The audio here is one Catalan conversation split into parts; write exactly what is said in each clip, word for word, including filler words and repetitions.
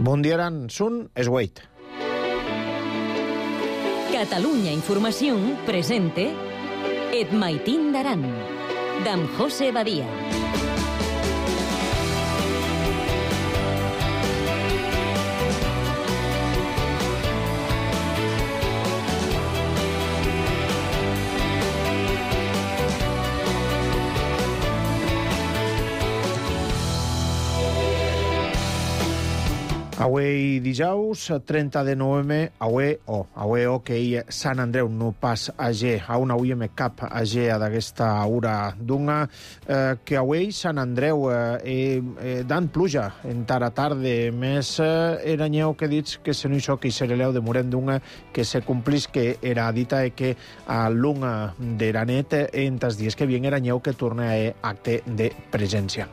Bon dia, Aran. Sun es Wait. Catalunya Informació presente Et Maitín d'Aran, d'en José Badia. Avui dijous, trenta de novembre, avui o, avui o que hi Sant Andreu no pas a G, a una avui me cap a G d'aquesta hora d'una, eh, que avui Sant Andreu eh, eh, dan pluja en tara tarde, més eh, era nyeu que dits que se no hi so que hi sereleu de morent d'una que se complís que era dita e que a l'una d'era net en tas dies que bien era nyeu que torna a acte de presència.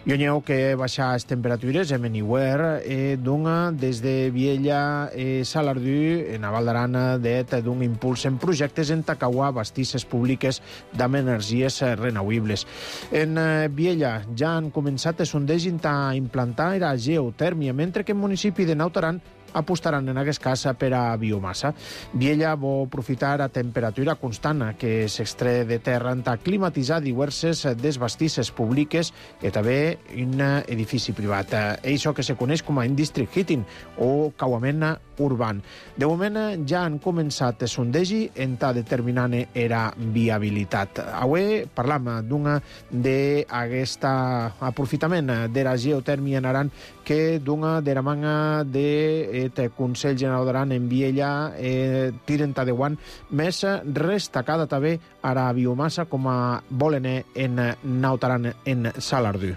I nyeu que baixa les temperatures en anywhere eh, d'una des de Viella e Salardú en a Val d'Aran det d'un impuls en projectes en Tacauà, bastisses públiques d'amb energies renovables. En Viella ja han començat a sondeig a implantar la geotèrmia, mentre que en municipi de Naut Aran apostaran en aquest cas per a biomassa. Viella vol aprofitar a temperatura constant que s'extret de terra en climatitzar diverses desbastisses públiques i també un edifici privat. Això que se coneix com a district heating o cauament urban. De moment ja han començat a sondegi en ta determinant era viabilitat. Avui parlam d'una d'aquest aprofitament de la geotèrmia en Aran que d'una de la manga de el Consell General d'Aran en Viella eh, tiren ta de guant més destacada també a la biomassa com a volen en Naut Aran en Salardú.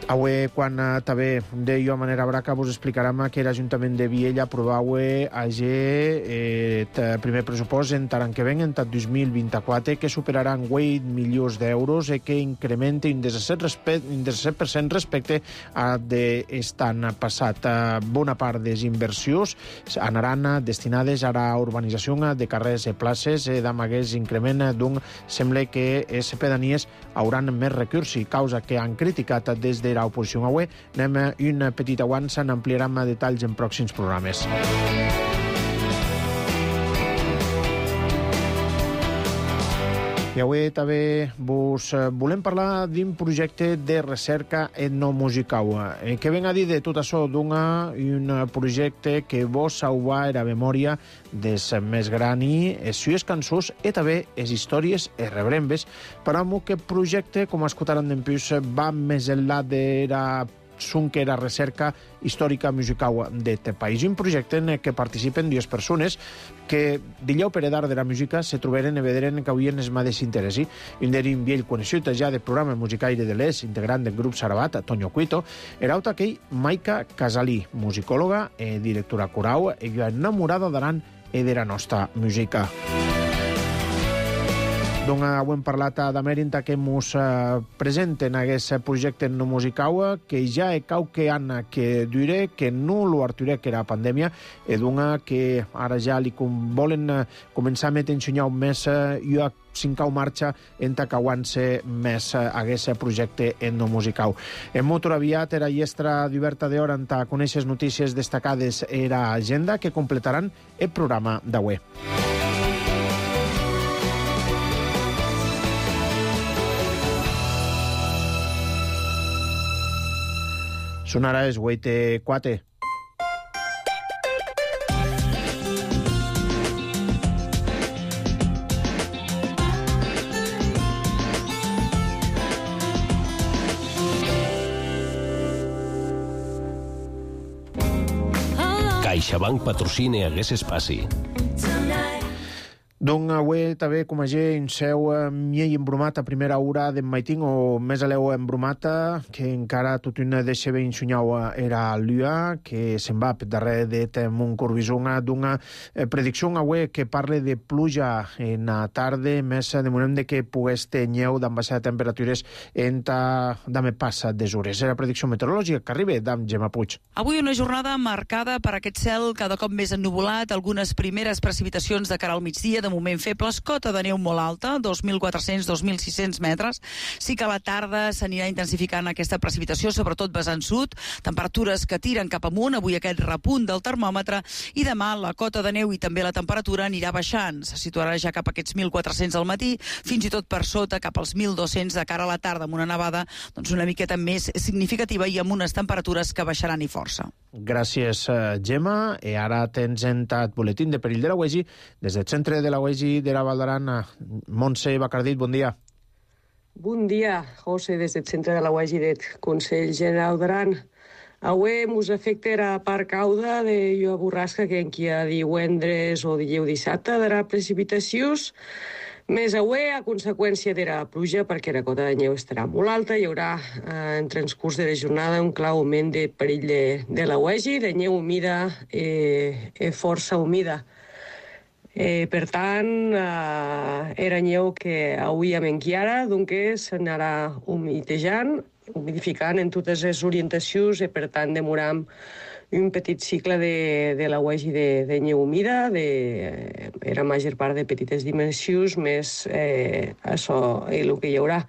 Avui, quan uh, també de jo a manera braca, vos explicarem que l'Ajuntament de Viella aprovau a G eh, el primer pressupost en taran que ven en tot dos mil vint-i-quatre que superaran vuit milions d'euros i que incrementa un disset per cent respecte a d'est any passat. Uh, bona part de les inversions anaran destinades a la urbanització de carrers i places eh, amb aquest increment d'un sembla que les pedanies hauran més recursos, causa que han criticat des de l'oposició. Avui anem a un petit avanç, n'ampliarem detalls en pròxims programes. I avui també vos volem parlar d'un projecte de recerca etnomusical. Eh, que ven a dir de tot això d'un un projecte que vos sauva la memòria des més grani, les sues cançons i també les històries i rebrembes, per a que projecte, com escoltaran d'empús, va més enllà de la son que era recerca històrica musical d'aquest país. Un projecte en què participen dues persones que d'illeu per edar de la música se troberen i vederen que havien el mateix interès. Un d'era un vell conegut ja del programa musicaire de l'Es, integrant del grup Sarabat, Toño Cuito, era auta aquell Maica Casalí, musicòloga i directora coral, i enamorada d'Aran i de la nostra música. Doncs ho hem parlat d'Amèrinta que ens uh, presenten aquest projecte no musical que ja he cau que Anna que dure que no lo arturé que era pandèmia i d'una que ara ja li com volen uh, començar a metre ensenyar un mes uh, i a cinc marxa en tacauant-se més uh, aquest projecte no musical. En molt aviat era llestra d'oberta d'hora en ta conèixer notícies destacades era agenda que completaran el programa d'avui. Sonarà es Huete Cuate. CaixaBank patrocina aquest espai. Doncs avui també com a gent en seu miei embrumat a primera hora d'en Maitín o més aleu embrumat que encara tot una deixa ben ensunyau era l'U A que se'n va per darrere de Montcorbison d'una predicció avui que parla de pluja en la tarda més de moment de que pogués tenir d'en baixar de temperatures en ta dame passa des hores. Era predicció meteorològica que arriba d'en Gemma Puig. Avui una jornada marcada per aquest cel cada cop més ennuvolat, algunes primeres precipitacions de cara al migdia, de moment febles, cota de neu molt alta, dos mil quatre-cents a dos mil sis-cents metres. Sí que a la tarda s'anirà intensificant aquesta precipitació, sobretot vessant sud, temperatures que tiren cap amunt, avui aquest repunt del termòmetre, i demà la cota de neu i també la temperatura anirà baixant. Se situarà ja cap a aquests mil quatre-cents al matí, fins i tot per sota, cap als mil dos-cents de cara a la tarda, amb una nevada doncs, una miqueta més significativa i amb unes temperatures que baixaran i força. Gràcies, Gemma. I ara tens entat boletín de perill de la U E G I des del centre de la U E G I de la Val d'Aran. Montse Bacardit, bon dia. Bon dia, José, des del centre de la U E G I del Consell General d'Aran. Avui mos afecta la part cauda de llua borrasca que enqui a divendres o dilluns dissabte darà precipitacions. Més avui, a conseqüència de la pluja, perquè la cota de neu estarà molt alta, hi haurà eh, en transcurs de la jornada un clar augment de perill de, de la U E G I, de neu humida i eh, eh, força humida. Eh, per tant, eh, era neu que avui hem enquiara, doncs s'anarà humitejant, humidificant en totes les orientacions i per tant demoram un petit cicle de, de la U E G I de, de neu humida, de, era major part de petites dimensions, més eh, això, el que hi haurà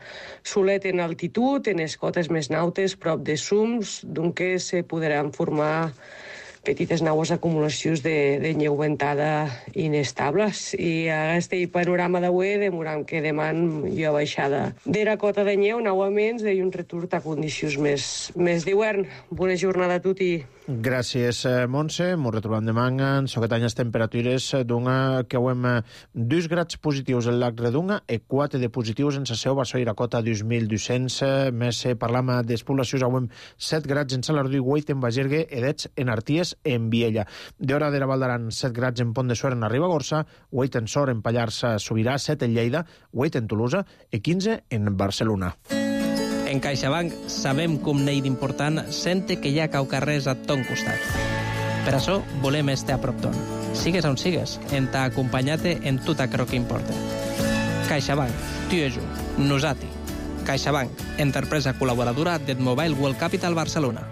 solet en altitud, en les cotes més nautes, prop de sums, doncs se podran formar petites naues acumulacions de, de neu ventada inestables. I a aquest panorama d'avui demoram que deman hi ha baixada de la cota de neu, novament, i un retorn a condicions més, més d'hivern. Bona jornada a tutti. Gràcies, Montse. Ens retrobem demà en soquetanyes temperatures d'una que ho hem dos grads positius en Lac Redunga i quatre de positius en Saseu, Bassó i la cota dos mil dos-cents. Més parlam de poblacions, ho hem set grads en Salardú i vuit en Bagergue i dets en Arties en Viella. D'hora de la Val d'Aran, set grads en Pont de Suert en Ribagorça, vuit en Sor en Pallars Sobirà, set en Lleida, vuit en Tolosa i quinze en Barcelona. En CaixaBank sabem com n'hi d'important sente que hi ha caucarrers a ton costat. Per això volem estar a prop ton. Sigues on sigues, en t'ha acompanyat en tot aquello que importa. CaixaBank, tu i jo, nosati. CaixaBank, empresa col·laboradora del Mobile World Capital Barcelona.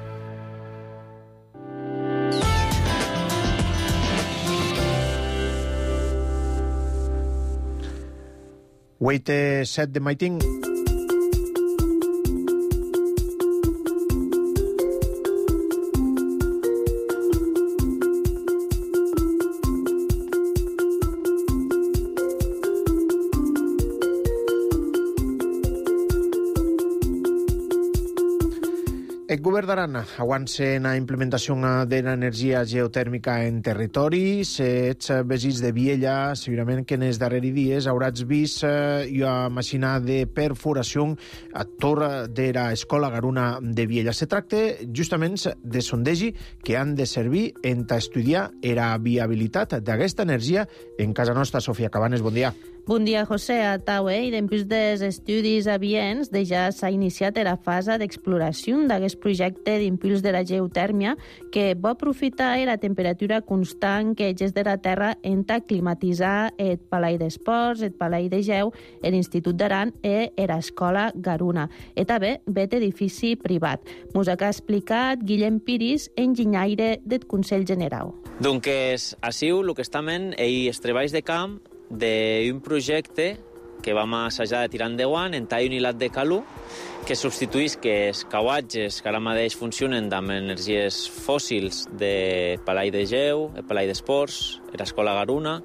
vuit set de Maiting. El govern d'Aran avança en la implementació de l'energia geotèrmica en territoris. Ets vesits de Viella, segurament que en els darrers dies hauràs vist una màquina de perforació a torre de l'escola Garuna de Viella. Se tracta justament de sondegi que han de servir en estudiar la viabilitat d'aquesta energia en casa nostra. Sofia Cabanes, bon dia. Bon dia, José. A Taue, i després dels estudis avients, ja s'ha iniciat la fase d'exploració d'aquest projecte d'impuls de la geotèrmia que va aprofitar la temperatura constant que és de la Terra en climatitzar el Palai d'Esports, el Palai de Geu, l'Institut d'Aran i l'escola Garuna. I també aquest edifici privat. Mos ha explicat Guillem Piris, enginyaire del Consell General. Doncs, així, el que estem és treballs de camp d'un projecte que vam assajar de tirar endavant en tall unilat de calor que substituís que els cauatges que ara mateix funcionen amb energies fòssils de Palai de Geu, el Palai d'Esports, l'escola Garuna,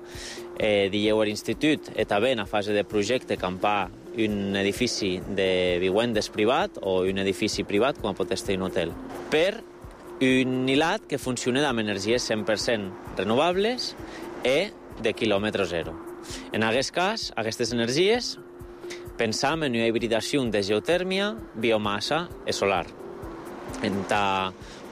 eh, Dilleu l'Institut, i també en la fase de projecte campar un edifici de vivendes privat o un edifici privat, com pot estar un hotel, per un hilat que funciona amb energies cent per cent renovables i de quilòmetre zero. En aquest cas, aquestes energies, pensam en una hibridació de geotèrmia, biomassa i solar. En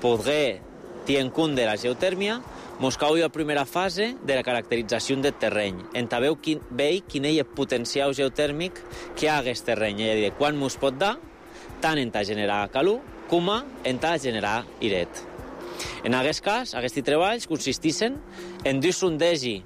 poder tenir en compte de la geotèrmia, mos cau la primera fase de la caracterització del terreny. En veu quin, quin és el potencial geotèrmic que hi ha a aquest terreny, és a dir, quan mos pot dar, tant en generar calor com en generar iret. En aquest cas, aquests treballs consisteixen en dos sondegi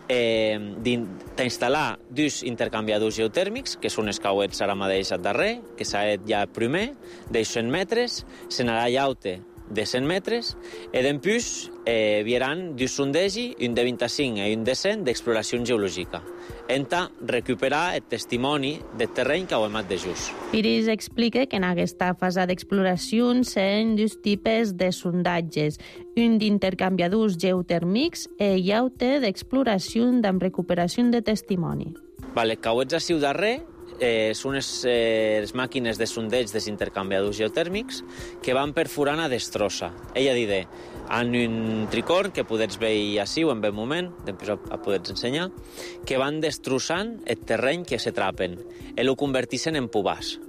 Eh, d'instal·lar dos intercanviadors geotèrmics, que són els cauets ara mateix al darrer, que s'ha fet ja primer, de cent metres, se n'anirà llaute de cent metres, e dempús eh, vieran dos sondegi, un de vint-i-cinc i un de cent d'exploració geològica, enta recuperar el testimoni del terreny que hem de just. Piris explica que en aquesta fase d'exploració s'han dos tipus de sondatges, un d'intercanviadors geotèrmics i l'altre d'exploració amb recuperació de testimoni. Vale, que ho ets ací darrer, eh, són les, eh, les màquines de sondeig dels intercanviadors geotèrmics que van perforant a destrossa. Ella dide, en un tricorn, que podets veure ací o en ben moment, després ho podets ensenyar, que van destrossant el terreny que se trapen i ho convertixen en pubàs.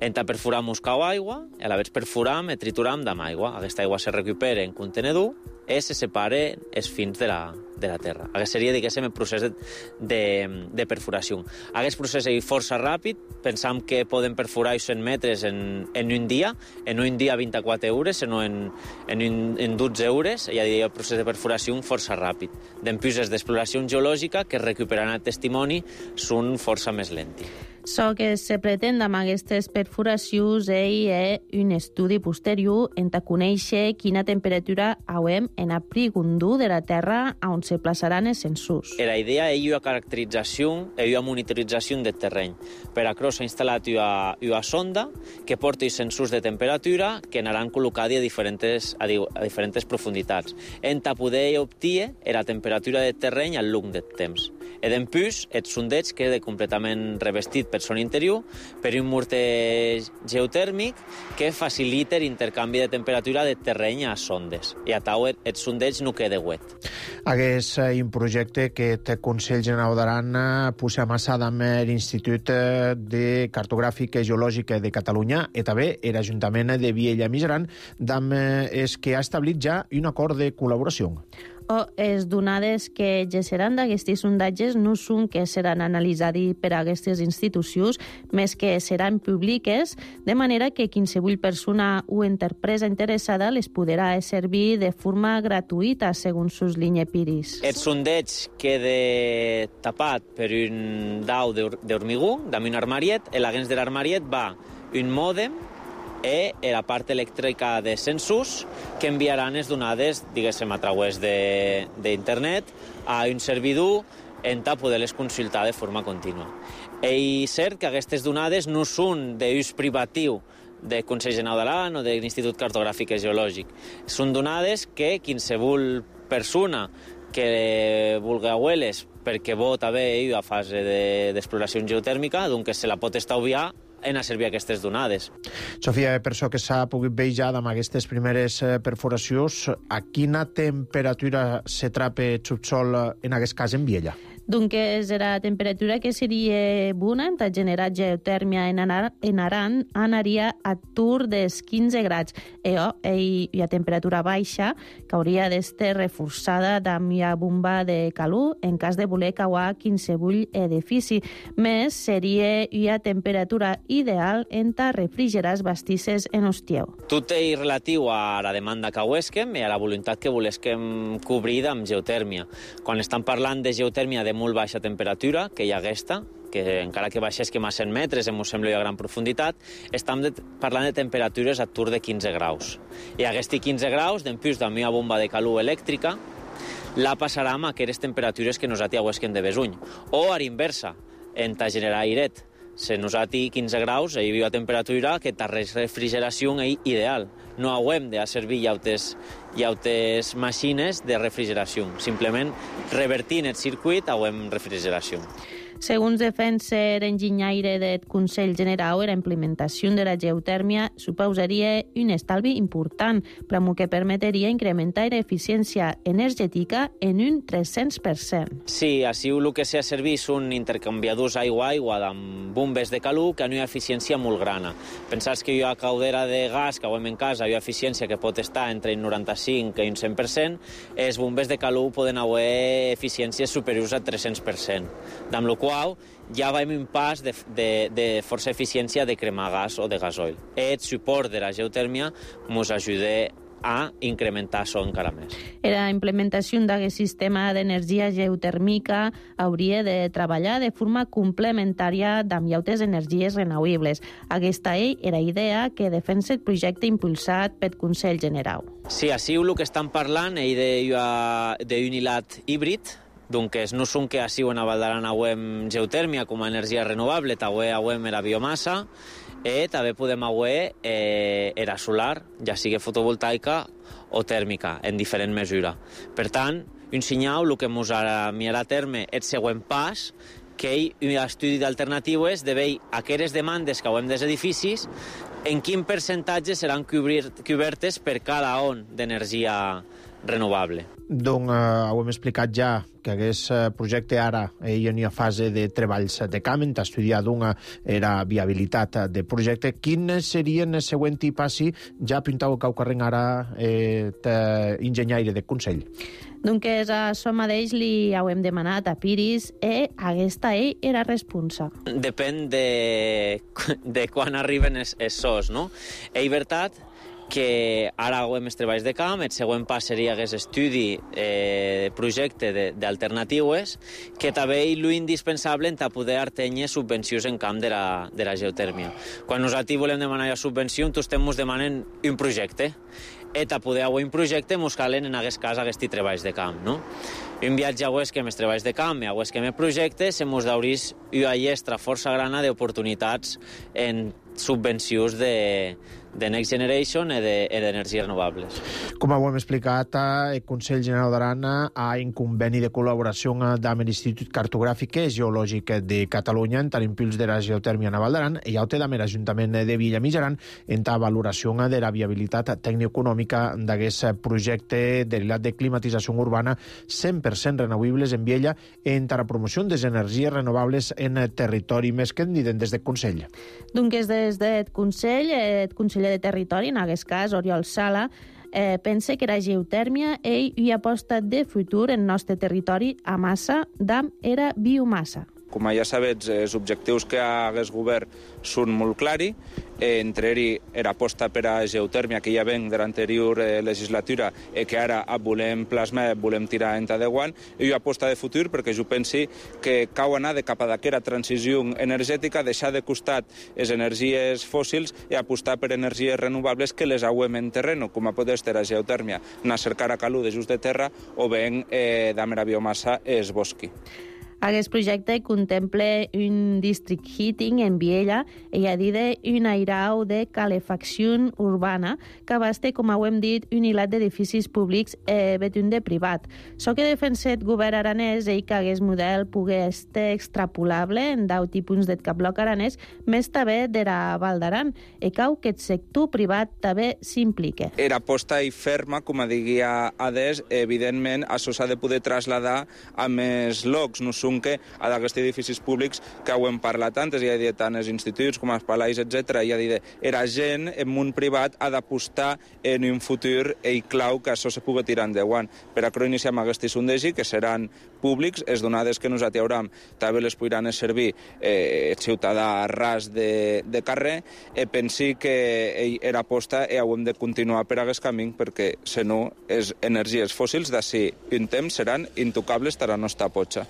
Enta perforam cau aigua, i a la vegada perforam i trituram amb aigua. Aquesta aigua se recupera en contenedor i se separa els fins de la, de la terra. Aquest seria, diguéssim, el procés de, de, de perforació. Aquest procés és força ràpid. Pensam que podem perforar cent metres en, en un dia, en un dia vint-i-quatre hores, sinó en, en, un, en dotze hores. Ja diria el procés de perforació força ràpid. Dempús és d'exploració geològica, que recuperant el testimoni, són força més lenti. So que se pretén amb aquestes perforacions és un estudi posterior en a conèixer quina temperatura haurem en a prigundú de la Terra on se plaçaran els sensors. La idea és una caracterització i una monitorització del terreny. Per això s'ha instal·lat una, una sonda que porta els sensors de temperatura que anaran col·locats a diferents, a, a diferents profunditats, en a poder obtenir la temperatura del terreny al llarg del temps. I dempús, el sondeig queda completament revestit per son interior per un morter geotèrmic que facilita l'intercanvi de temperatura del terreny a sondes. I a tau el sondeig no queda wet. Aquest és un projecte que el Consell Generau d'Aran posa amassada amb l'Institut de Cartogràfica i Geològica de Catalunya i també l'Ajuntament de Viella Mijaran, amb els que ha establit ja un acord de col·laboració. O les donades que gesseran d'aquestes sondatges no són que seran analitzades per a aquestes institucions, més que seran públiques, de manera que qualsevol persona o empresa interessada les podrà servir de forma gratuïta, segons sus línia Piris. El sondeig queda tapat per un dau d'hormigó, amb un armariet, i l'agents de l'armariet va un mòdem i la part elèctrica de sensors que enviaran les donades, diguéssim, a través d'internet a un servidor en ta poder-les consultar de forma contínua. I és cert que aquestes donades no són d'ús privatiu del Consell Generau d'Aran o de l'Institut Cartogràfic i Geològic. Són donades que qualsevol persona que vulgui veure-les perquè vol també a fase d'exploració geotèrmica, doncs se la pot estalviar en a servir aquestes donades. Sofia, per això que s'ha pogut veure ja amb aquestes primeres perforacions, a quina temperatura se trapa el subsol, en aquest cas en Viella? Doncs és la temperatura que seria bona en generar geotèrmia en, Anar, en Aran anaria a tur dels quinze graus i, oh, i, i a temperatura baixa que hauria d'estar reforçada amb la bomba de calor en cas de voler cauar qualsevol edifici. Més seria una temperatura ideal en ta refrigerar els bastisses en hostieu. Tot és relatiu a la demanda que huesquem i a la voluntat que volesquem cobrir amb geotèrmia. Quan estan parlant de geotèrmia de molt baixa temperatura, que hi ha aquesta, que encara que baixesquem a cent metres, ens sembla a gran profunditat, estem de, parlant de temperatures a tur de quinze graus. I aquests quinze graus, dempús de una bomba de calor elèctrica, la passarà amb aquestes temperatures que nosaltres huesquem de besuny. O a l'inversa, en ta generar airet. Se nosaltres quinze graus, hi ha temperatura que ta refrigeració és ideal. No haurem de servir llautes, llautes màquines de refrigeració. Simplement, revertint el circuit, haurem refrigeració. Segons defensa l'enginyaire del Consell Generau, la implementació de la geotèrmia suposaria un estalvi important, però que permetria incrementar l'eficiència energètica en un tres-cents per cent. Sí, així el que s'ha servit són intercanviadors aigua-aigua amb bombes de calor que han una eficiència molt grana. Pensats que hi ha caldera de gas que hem en casa, hi ha eficiència que pot estar entre un noranta-cinc i un cent per cent, els bombes de calor poden haver eficiències superiors a tres-cents per cent, amb la qual ja veiem un pas de, de, de força eficiència de cremar gas o de gasoil. El suport de la geotèrmia ens ajuda a incrementar això encara més. La implementació d'aquest sistema d'energia geotèrmica hauria de treballar de forma complementària amb altres energies renovables. Aquesta era la idea que defensa el projecte impulsat pel Consell General. Sí, així el que estan parlant és d'un hilat híbrid, doncs no són que així a Val d'Aran avem geotèrmia com a energia renovable, també avem era biomassa, i també podem haver eh, era solar, ja sigui fotovoltaica o tèrmica, en diferent mesura. Per tant, un senyal, el que ens mirarà a terme és el següent pas, que hi ha un estudi d'alternatives de veure aquestes demandes que haguem dels edificis, en quin percentatge seran cobertes per cada on d'energia renovable. Doncs eh, ho hem explicat ja, que aquest projecte ara hi ha fase de treballs de camp, hem estudiat una era viabilitat de projecte. Quins serien el següent passi? Ja pintau que ho carreguen ara eh, enginyaire de Consell. Doncs a això mateix li hem demanat a Piris i aquesta ell era responsa. Depèn de, de quan arriben els sos, no? És veritat que ara hem els treballs de camp, el següent pas seria aquest estudi eh, projecte d'alternatives, que també és l'indispensable per poder tenir subvencions en camp de la, de la geotèrmia. Quan nosaltres volem demanar la subvenció, tots estem demanant un projecte, i per poder haver un projecte ens calen en aquest cas aquests treballs de camp, no? Un viatge a que amb els treballs de camp i a que amb el projecte se ens daurís una llestra força grana d'oportunitats en subvencions de, de Next Generation i d'energies renovables. Com ho hem explicat, el Consell General d'Aran ha un conveni de col·laboració amb l'Institut Cartogràfic i Geològic de Catalunya en l'impuls de la geotèrmia a Val d'Aran i també amb l'Ajuntament de Vilamitjaran en la valoració de la viabilitat tecnoeconòmica d'aquest projecte derivat de climatització urbana cent per cent renovables en Viella en la promoció de les energies renovables en el territori. Més que en diuen des del Consell. Doncs des del Consell, el conseller de Territori, en aquest cas, Oriol Sala, eh, pensa que la geotèrmia ell hi ha apostat de futur en el nostre territori a massa d'am era biomassa. Com ja sabets, els objectius que ha aquest govern són molt clars. Entre ells, era aposta per a geotèrmia, que ja ven de l'anterior legislatura i que ara volem plasmar, volem tirar endavant, i aposta de futur perquè jo pensi que cau anar de cap a d'aquesta transició energètica, deixar de costat les energies fòssils i apostar per energies renovables que les hauem en terreno, com a poder ser la geotèrmia, anar a cercar a calú de just de terra o ben eh, d'amera biomassa es bosqui. Aquest projecte contempla un district heating en Viella i a dir un airau de calefacció urbana que abasta, com ho hem dit, un hilat d'edificis públics eh, betun de privat. So que defenset govern aranès i que aquest model pugui estar extrapolable en deu punts del bloc aranès, més també de la Val d'Aran, i cau que el sector privat també s'implica. Era aposta i ferma, com a diguia Ades, evidentment això s'ha de poder traslladar a més llocs, no són que a d'aquests edificis públics que ho hem parlat antes, ja he dit tant els instituts com els palais, etcètera. Ja he dit, era gent en món privat ha d'apostar en un futur i clau que això se pugui tirar endavant. Per a això iniciem aquest sondegi, que seran públics, les donades que nosaltres haurem també les podran servir eh, el ciutadà ras de, de carrer, i pensi que era aposta i ho hem de continuar per aquest camí, perquè, si no, les energies fòssils d'ací un temps seran intocables per a la nostra potxa.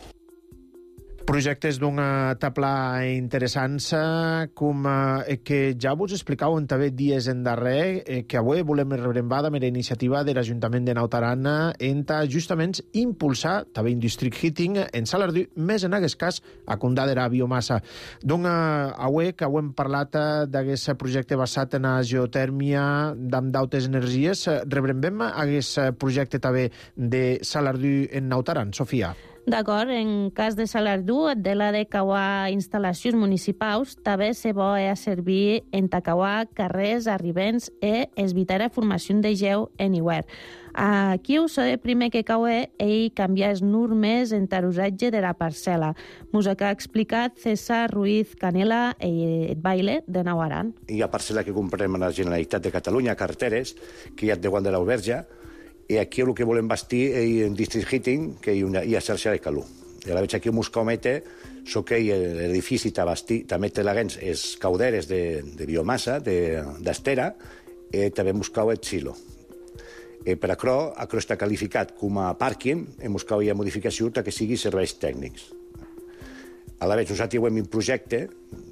Projectes d'una tabla interessants, com eh, que ja vos explicàvem també dies en darrer, eh, que avui volem rebrembar amb la iniciativa de l'Ajuntament de Naut Aran en justament impulsar també un district heating en Salardú, més en aquest cas a Condà de la biomassa. Doncs avui que ho hem parlat d'aquest projecte basat en la geotèrmia amb d'altres energies, rebrembem aquest projecte també de Salardú en Naut Aran, Sofia. D'acord, en cas de Salardú, de la de cauar instal·lacions municipals, també se bo a servir en tacauar carrers arribents i evitar la formació de geu en hivern. Aquí ho sé primer que cau i canviar les normes en l'usatge de la parcel·la. Mos ha explicat César Ruiz Canela i el baile de Naut Aran. Hi ha parcel·la que comprem a la Generalitat de Catalunya, carreteres, que hi ha de Guant de l'Auberge, i aquí el que volem bastir és un district heating, que hi ha xarxa de calor. I a la veig aquí un muscomete, so que l'edifici també té laguens els cauderes de, de biomassa, d'estera, i també buscau el xilo. Eh, per això, això està qualificat com a pàrquing, hem buscat una modificació que sigui serveis tècnics. A la vegada, nosaltres hem un projecte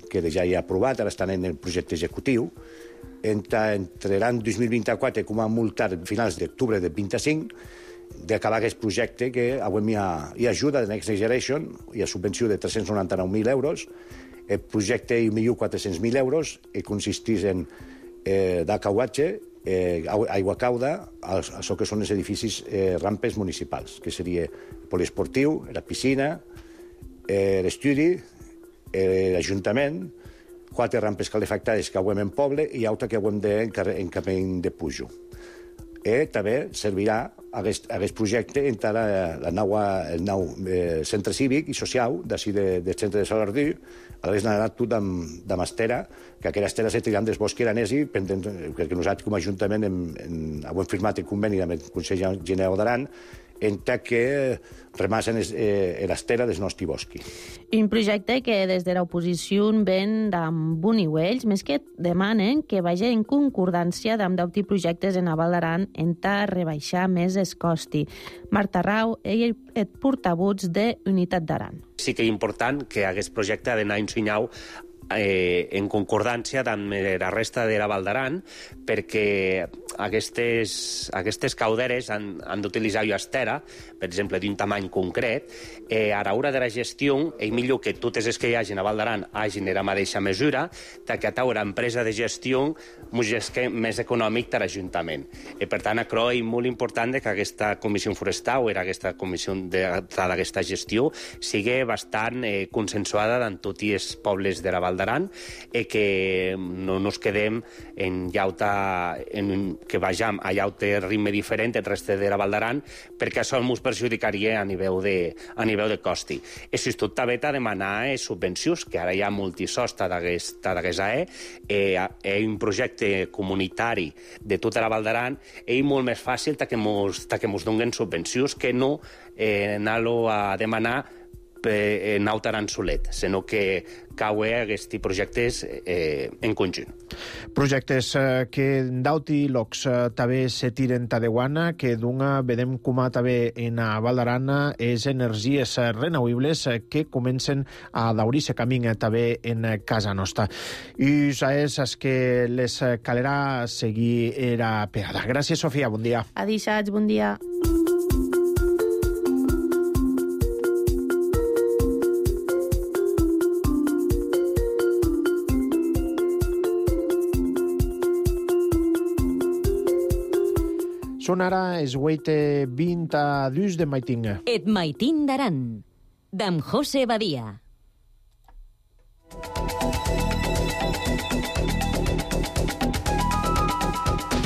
que ja hi ha aprovat, ara estan en el projecte executiu, entre, entre l'any dos mil vint-i-quatre, com a multar a finals d'octubre del vint-i-cinc, d'acabar aquest projecte que avui hi ha, hi ha ajuda de Next Generation, hi ha subvenció de tres-cents noranta-nou mil euros, el projecte un milió quatre-cents mil euros, i consisteix en eh, d'acauatge, eh, aigua cauda, això que són els edificis eh, rampes municipals, que seria el poliesportiu, la piscina, eh, l'estudi, eh, l'Ajuntament, quatre rampes calefactades que avui en poble i altra que avui en camí de Pujo. I també servirà aquest, aquest projecte entre la, la nova, el nou eh, centre cívic i social d'ací de, del centre de Salardú, a l'haver anat tot amb, amb estera, que aquella estera se triant des bosc aranesi, perquè nosaltres com a Ajuntament hem, hem, hem firmat el conveni amb el Consell General d'Aran, en que remasen eh, l'estera del nostre bosc. Un projecte que des de l'oposició ven amb boniuells, més que demanen que vagi en concordància amb d'autres projectes en Val d'Aran en ta rebaixar més es costi. Marta Rau, ell és portavuts de Unitat d'Aran. Sí que és important que aquest projecte ha d'anar ensenyau Eh, en concordància amb la resta de la Val d'Aran, perquè aquestes, aquestes cauderes han, han d'utilitzar estera, per exemple, d'un tamany concret. Eh, a l'hora de la gestió, és millor que totes les que hi hagin a Val d'Aran hagin la mateixa mesura, que a taure empresa de gestió és més econòmic per l'Ajuntament. Eh, per tant, això és molt important que aquesta comissió forestal o aquesta comissió d'aquesta gestió sigui bastant eh, consensuada amb tots els pobles de la Val d'Aran, eh, que no ens quedem en llauta, en, que vagem a llauta ritme diferent el reste de la Val d'Aran, perquè això ens perjudicaria a nivell de, a nivell de costi. L'Institut també ha de demanar eh, subvencions, que ara hi ha multisosta d'aquesta A E, eh, és un projecte comunitari de tota la Val d'Aran, és molt més fàcil que ens donen subvencions que no eh, anar-lo a demanar en Aran solet, sinó que cauen aquests projectes eh, en conjunt. Projectes eh, que d'auti locs eh, també se tiren tadeguana, que d'una vedem com a també en a Val d'Aran és energies renovables eh, que comencen a daurir-se camí eh, també en casa nostra. I és es que les calerà seguir era pegada. Gràcies, Sofia, bon dia. Adixats, bon dia. Són ara es hueite vint a dus de maitín. Et maitín d'Aran, d'en José Badia.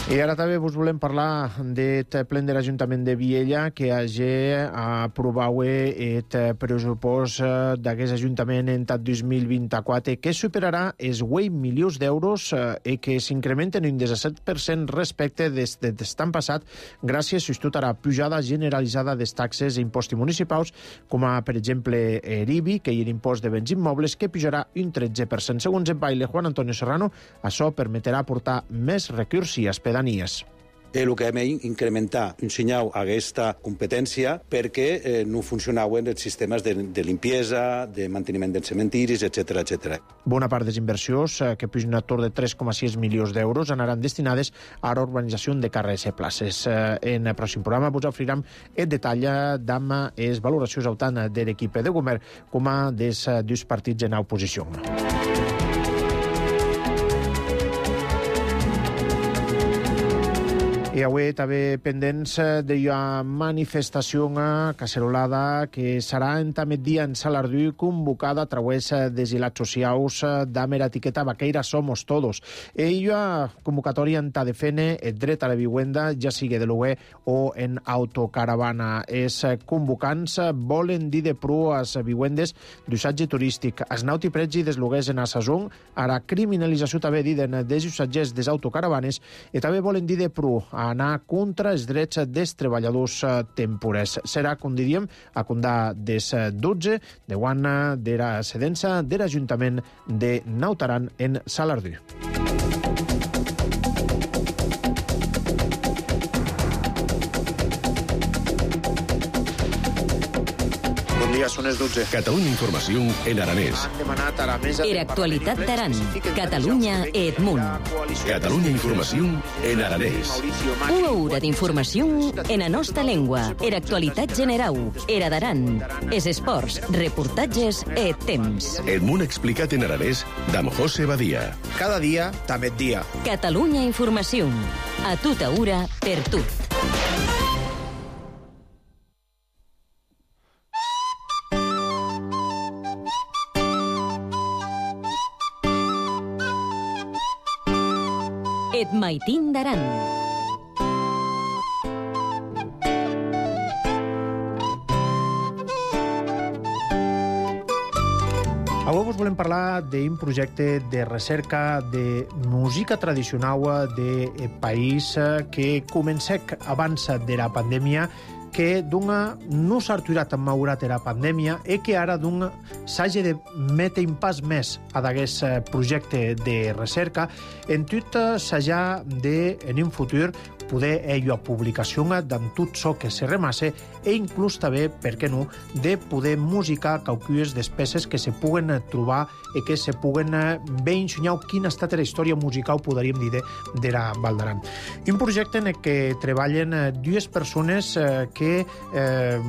I ara també vos volem parlar del ple de l'Ajuntament de Viella, que hagi aprovat el pressupost d'aquest Ajuntament en dos mil vint-i-quatre, que superarà els vuit milions d'euros i que s'incrementen un disset per cent respecte des de l'estat passat, gràcies a la pujada generalitzada dels taxes i impostos municipals, com a, per exemple, l'I B I, que és l'impost de béns immobles, que pujarà un tretze per cent. Segons el baile Juan Antonio Serrano, això permetrà portar més recursos a pedanies. El que hem incrementar un senyal a aquesta competència perquè eh, no funcionaven els sistemes de, de limpiesa, de manteniment dels cementiris, etcètera, etcètera. Bona part des inversions, eh, que pugen a tor de tres coma sis milions d'euros, anaran destinades a la urbanització de carrers i places. Eh, en el pròxim programa vos oferirem el detall d'ama les valoracions autant de l'equip de govern com a dels dos partits en oposició. I avui també pendents de la manifestació cacerolada que serà en també dia en Salardú, convocada a través dels hilats socials d'amb l'etiqueta Vaqueira Somos Todos. I la convocatòria en de fene el dret a la vivienda, ja sigui de lloguer o en autocaravana. Els convocants volen dir de pro a les vivendes d'usatge turístic, es nauti pregi dels lloguers en a sazón, a la criminalització també diden dels usatgers des autocaravanes, i també volen dir de pro a anar contra els drets dels treballadors temporers. Serà, com diríem, a condar des dotze de guana de la cedença de l'Ajuntament de Naut Aran en Salardú. dia, són les dotze. Catalunya Informació en aranès. Han demanat a la mesa... Era actualitat d'Aran. Catalunya Edmunt. Catalunya Informació en aranès. Una hora d'informació en la nostra llengua. Era actualitat generau. Era d'Aran. Es esports, reportatges e temps. Edmunt explicat en aranès d'Am José Badia. Cada dia, també dia. Catalunya Informació. A tota hora, per tot. Et maitin d'Aran. Avui vos volem parlar d'un projecte de recerca de música tradicional de país que comencèc abans de la pandèmia, que d'una no s'ha aturat en maurat la pandèmia i que ara d'una s'hagi de metre un pas més a d'aquest projecte de recerca. En tot s'haja de, en un futur, poder ella a publicació d'en tot això que se remasse e inclús també, per què no, de poder musicar qualques despeses que se puguen trobar i que se puguen bé ensenyar quina ha estat la història musical, podríem dir, de la Val d'Aran. Un projecte en què treballen dues persones que eh,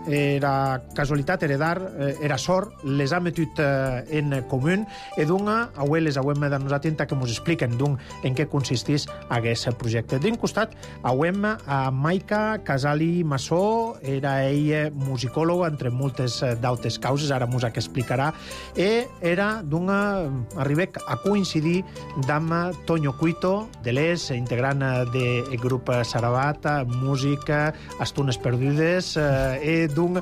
era casualitat, heredar, era sort, les ha metut en comú i d'una, avui les hauem de nosaltres que ens expliquen en què consisteix aquest projecte. D'un costat, Auem a Maica Casali Massó, era ell musicòloga entre moltes d'altres causes, ara mos que explicarà, i era d'una... arribec a coincidir amb Toño Cuito, de l'Es, integrant del grup Sarabat, música, Estones perdudes, i d'un...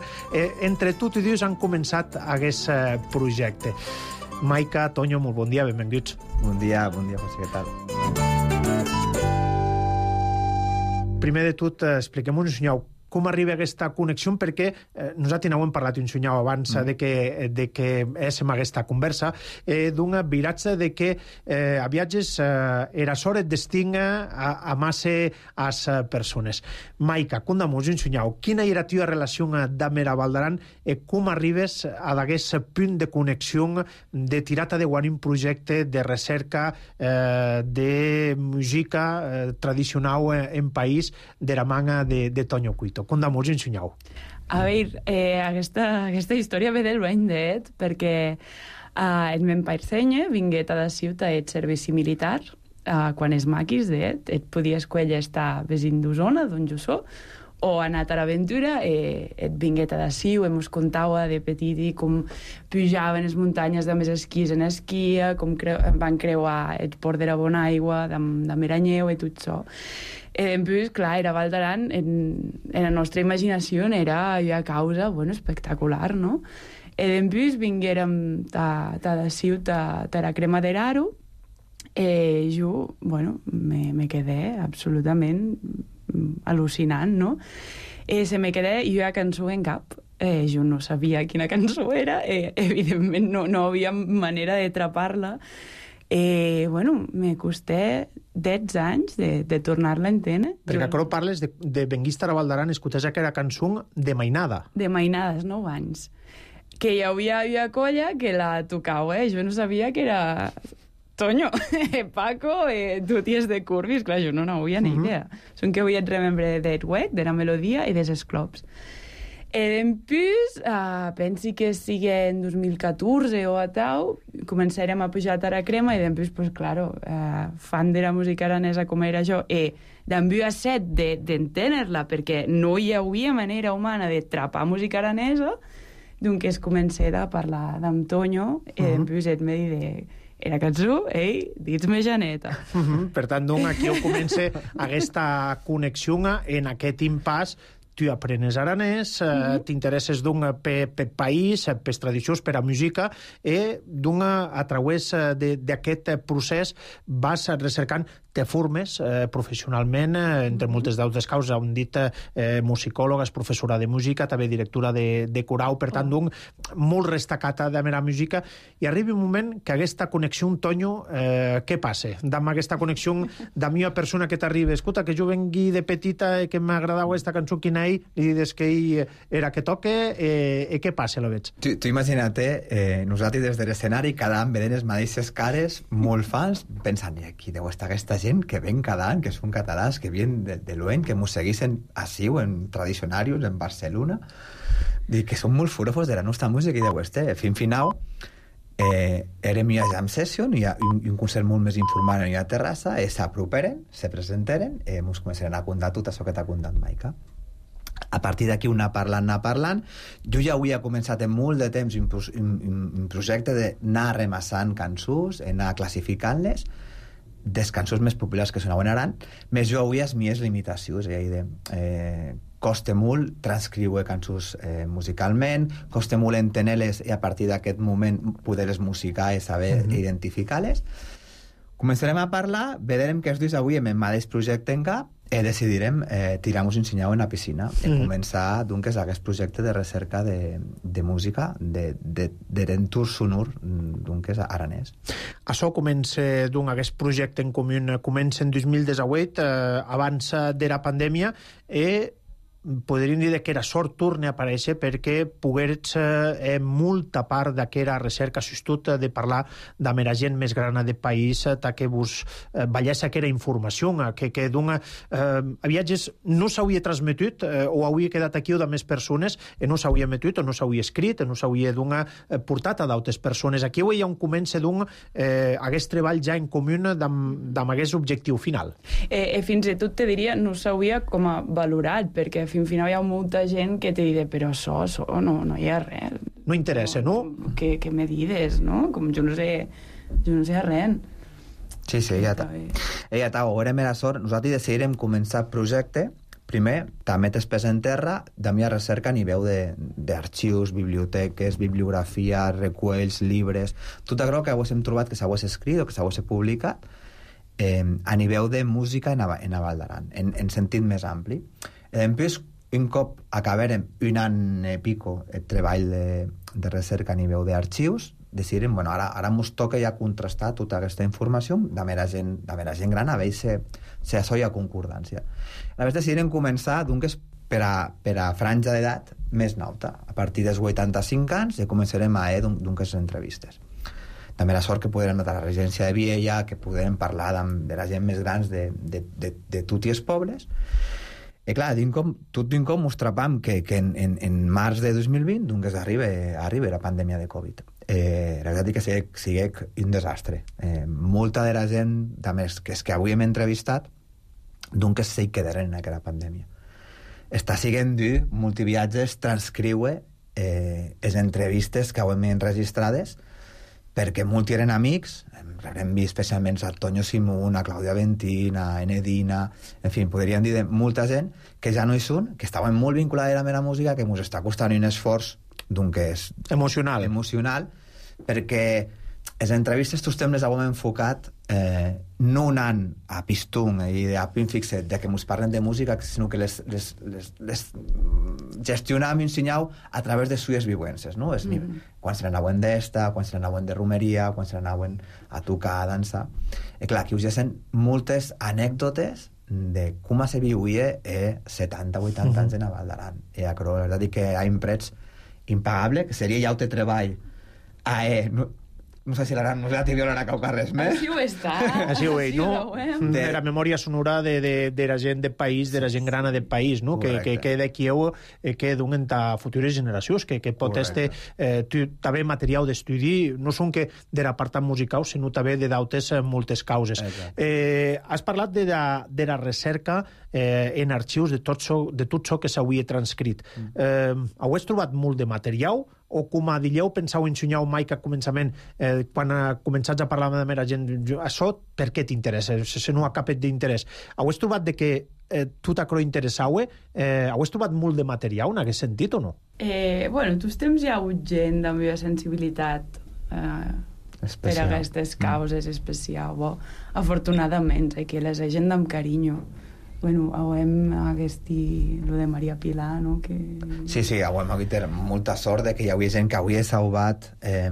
entre tot i dius han començat aquest projecte. Maica, Toño, molt bon dia, benvinguts. Bon dia, bon dia, José, què tal? Primer de tot, expliquem-nos, senyor, com arriba aquesta connexió, perquè eh, nosaltres no ho hem parlat un senyor abans mm. de que, de que és en aquesta conversa, eh, d'un viratge de que eh, a viatges eh, era sort et destinga a, a massa as persones. Maica, conta-mos un senyor, quina era la teva relació amb la Val d'Aran i com arribes a aquest punt de connexió de tirar de guany un projecte de recerca eh, de música eh, tradicional en país de la manga de, de Toño Cuito. Conta-mos, ensenyau. A veure, eh, aquesta, aquesta història ve del bany d'et, perquè eh, el meu pare senye vinguet a la ciutat et servici militar, eh, quan és maquis d'et, et podia escollir estar vesin d'Osona, d'on jo so, o anat a l'aventura, eh, et vinguet a la ciu, em us contava de petit i com pujaven les muntanyes de més esquís en esquia, com creu, van creuar el port de la Bonaigua, de, de Meranyeu i tot això. Eh, pues, clar, era Val d'Aran, en, en la nostra imaginació era una causa, bueno, espectacular, no? E després vinguérem a la ciutat de la crema de l'Aro, i jo, bueno, me, me quedé absolutament al·lucinant, no? E se me quedé i una cançó en cap. Eh, jo no sabia quina cançó era, eh, evidentment no, no havia manera de trapar-la. Eh, bueno, me costé deu anys de, de tornar-la a entendre. Perquè jo... ara parles de, de Benguista a la Val d'Aran, escoltes que era cançó de mainada. De mainades, nou anys. Que hi havia una colla que la tocava, eh? Jo no sabia que era Toño, Paco, eh, tuties de curvis. Clar, jo no n'havia ni idea. Uh -huh. Són que avui et remembre del wet, de la melodia i dels esclops. E després, uh, pensi que sigui en dos mil catorze o a tau, començarem a pujar a la crema i després, pues, claro, uh, fan de la música aranesa com era jo, i d'enviar a set d'entendre-la, de, perquè no hi havia manera humana de trapar música aranesa, doncs es comença a parlar d'en Toño, i uh -huh. després et me dir era cançó, ei, dits-me Janeta. Uh -huh. Per tant, doncs, aquí ho comença aquesta connexió en aquest impàs. Tu aprenes aranès, mm -hmm. t'interesses d'un per, per país, per tradicions, per a música, i d'un a través d'aquest procés vas recercant te formes eh, professionalment, eh, entre moltes d'altres causes, hem dit eh, musicòloga, és professora de música, també directora de, de corau, per tant, d'un molt destacada de la música, i arriba un moment que aquesta connexió, Tonyo, eh, què passa? Amb aquesta connexió de mi persona que t'arriba, escolta, que jo vengui de petita i que m'agradava aquesta cançó, quina ell, li dius que ell era que toque, eh, i què passa, lo veig? Tu, tu imagina't, eh, nosaltres des de l'escenari cada any veient les mateixes cares, molt fans, pensant, i aquí deu estar aquesta gent que ven cada any, que són catalans, que vienen de, de l'Oen, que mos seguissin així, en tradicionarius, en Barcelona, i que són molt furofos de la nostra música i deu estar. Fin final, eh, érem a jam session, i un, un concert molt més informal a Terrassa, i s'aproperen, se presenteren, i ens començaran a contar tot això que t'ha contat Maica. A partir d'aquí, una parlant, anar parlant. Jo ja havia començat en molt de temps un, un, un projecte d'anar remassant cançons, anar classificant-les, des cançons més populars que sonaven aran, més jo avui les mies limitacions, és a dir, eh, costa molt transcriure cançons eh, musicalment, costa molt entenir-les i a partir d'aquest moment poder-les musicar i saber mm-hmm. identificar-les. Començarem a parlar, veurem que els dos avui amb el mateix projecte en cap, i decidirem eh, tirar-nos un senyal en la piscina i mm. començar, doncs, aquest projecte de recerca de, de música de, de, de d'entorn sonor, doncs, aranès. Això comença, doncs, aquest projecte en comú comença en dos mil disset, eh, abans de la pandèmia, i podríem dir que era sort torna a aparèixer perquè pogués eh, molta part d'aquesta recerca sostut de parlar amb la gent més gran del país, que vos eh, veiés aquella informació, que, que d'una eh, a viatges no s'hauria transmetit eh, o hauria quedat aquí o de més persones, i no s'hauria emetit o no s'hauria escrit, no s'hauria d'una eh, portat a d'altres persones. Aquí hi ha un comença d'un eh, aquest treball ja en comú amb aquest objectiu final. Eh, eh, fins i tot te diria, no s'hauria com a valorat, perquè fins al final hi ha molta gent que te diré, però això, això, no, no hi ha res. No interessa, no? no? Què, què me dides, no? Com jo no sé, jo no sé res. Sí, sí, ja està. Ja està, ho érem a la sort. Nosaltres decidirem començar el projecte. Primer, també t'espès en terra, de mi a recerca a nivell d'arxius, biblioteques, bibliografia, recuells, llibres, tot allò que haguéssim trobat que s'hagués escrit o que s'hagués publicat, eh, a nivell de música en a, en a Val d'Aran, en, en sentit més ampli. En plus, un cop acabarem un any i pico el treball de, de recerca a nivell d'arxius, decidirem, bueno, ara, ara ens toca ja contrastar tota aquesta informació de mera gent, de mera gent gran, a veure si, si això hi ha concordància. A més, decidirem començar, doncs, per a, per a franja d'edat més nauta. A partir dels vuitanta-cinc anys ja començarem a fer, doncs, les entrevistes. També la sort que podrem anar a la residència de Viella, que podrem parlar de, de la gent més grans de, de, de, de tots els pobles. I clar, com, tot d'un com ens trapam que, que en, en, en març de dos mil vint doncs arriba, arriba la pandèmia de Covid. Eh, la veritat és que sigui, sigui un desastre. Eh, molta de la gent, també, que, és que avui hem entrevistat, doncs s'hi quedaren en aquella pandèmia. Està siguent dur, multiviatges, transcriure eh, les entrevistes que hem enregistrades, perquè molts eren amics, hem vist especialment a Tonyo Simón, a Clàudia Ventín, a Enedina, en fi, podríem dir de molta gent que ja no hi són, que estaven molt vinculades a la meva música, que ens està costant un esforç doncs, emocional. emocional, perquè les entrevistes tots temps les hem enfocat eh, no anant a pistón i a pin fixet de que ens parlen de música, sinó que les, les, les, les gestionàvem i ensenyàvem a través de suyes vivències, no? Mm -hmm. Quan se n'anaven d'esta, quan se n'anaven de romeria, quan se n'anaven a tocar, a dansar. I clar, aquí us llessen moltes anècdotes de com se vivia eh, setanta vuitanta mm -hmm. anys en a Val d'Aran. I a la veritat és que hi ha un prets impagable, que seria ja el treball a eh, no, no sé si l'Aran no té violar a caucar res més. Així ho està. Així ho és, no? De la memòria sonora de, de, de la gent del país, de la gent grana del país, no? Que, que queda aquí eh, que donen a futures generacions, que, que pot este eh, també material d'estudi, no són que de l'apartat musical, sinó també de d'altres eh, moltes causes. Eh, has parlat de la, de la recerca eh, en arxius de tot això, de tot això que s'hauria transcrit. Mm. Eh, heu trobat molt de material, o com a dieu pensau ensenyar mai que a començament, eh, quan ha començats a parlar amb la gent, això per què t'interessa? Si no ha cap d'interès. Heu trobat de que eh, tot això interessau? Eh, heu trobat molt de material en aquest sentit o no? Eh, bueno, tots temps hi ha hagut gent de la meva sensibilitat eh, per a aquestes causes especials. Bo, afortunadament, aquí les gent amb carinyo. Bueno, hem aquest lo de Maria Pilar, no? Que... Sí, sí, hem hagut molta sort de que hi havia gent que avui ha salvat eh,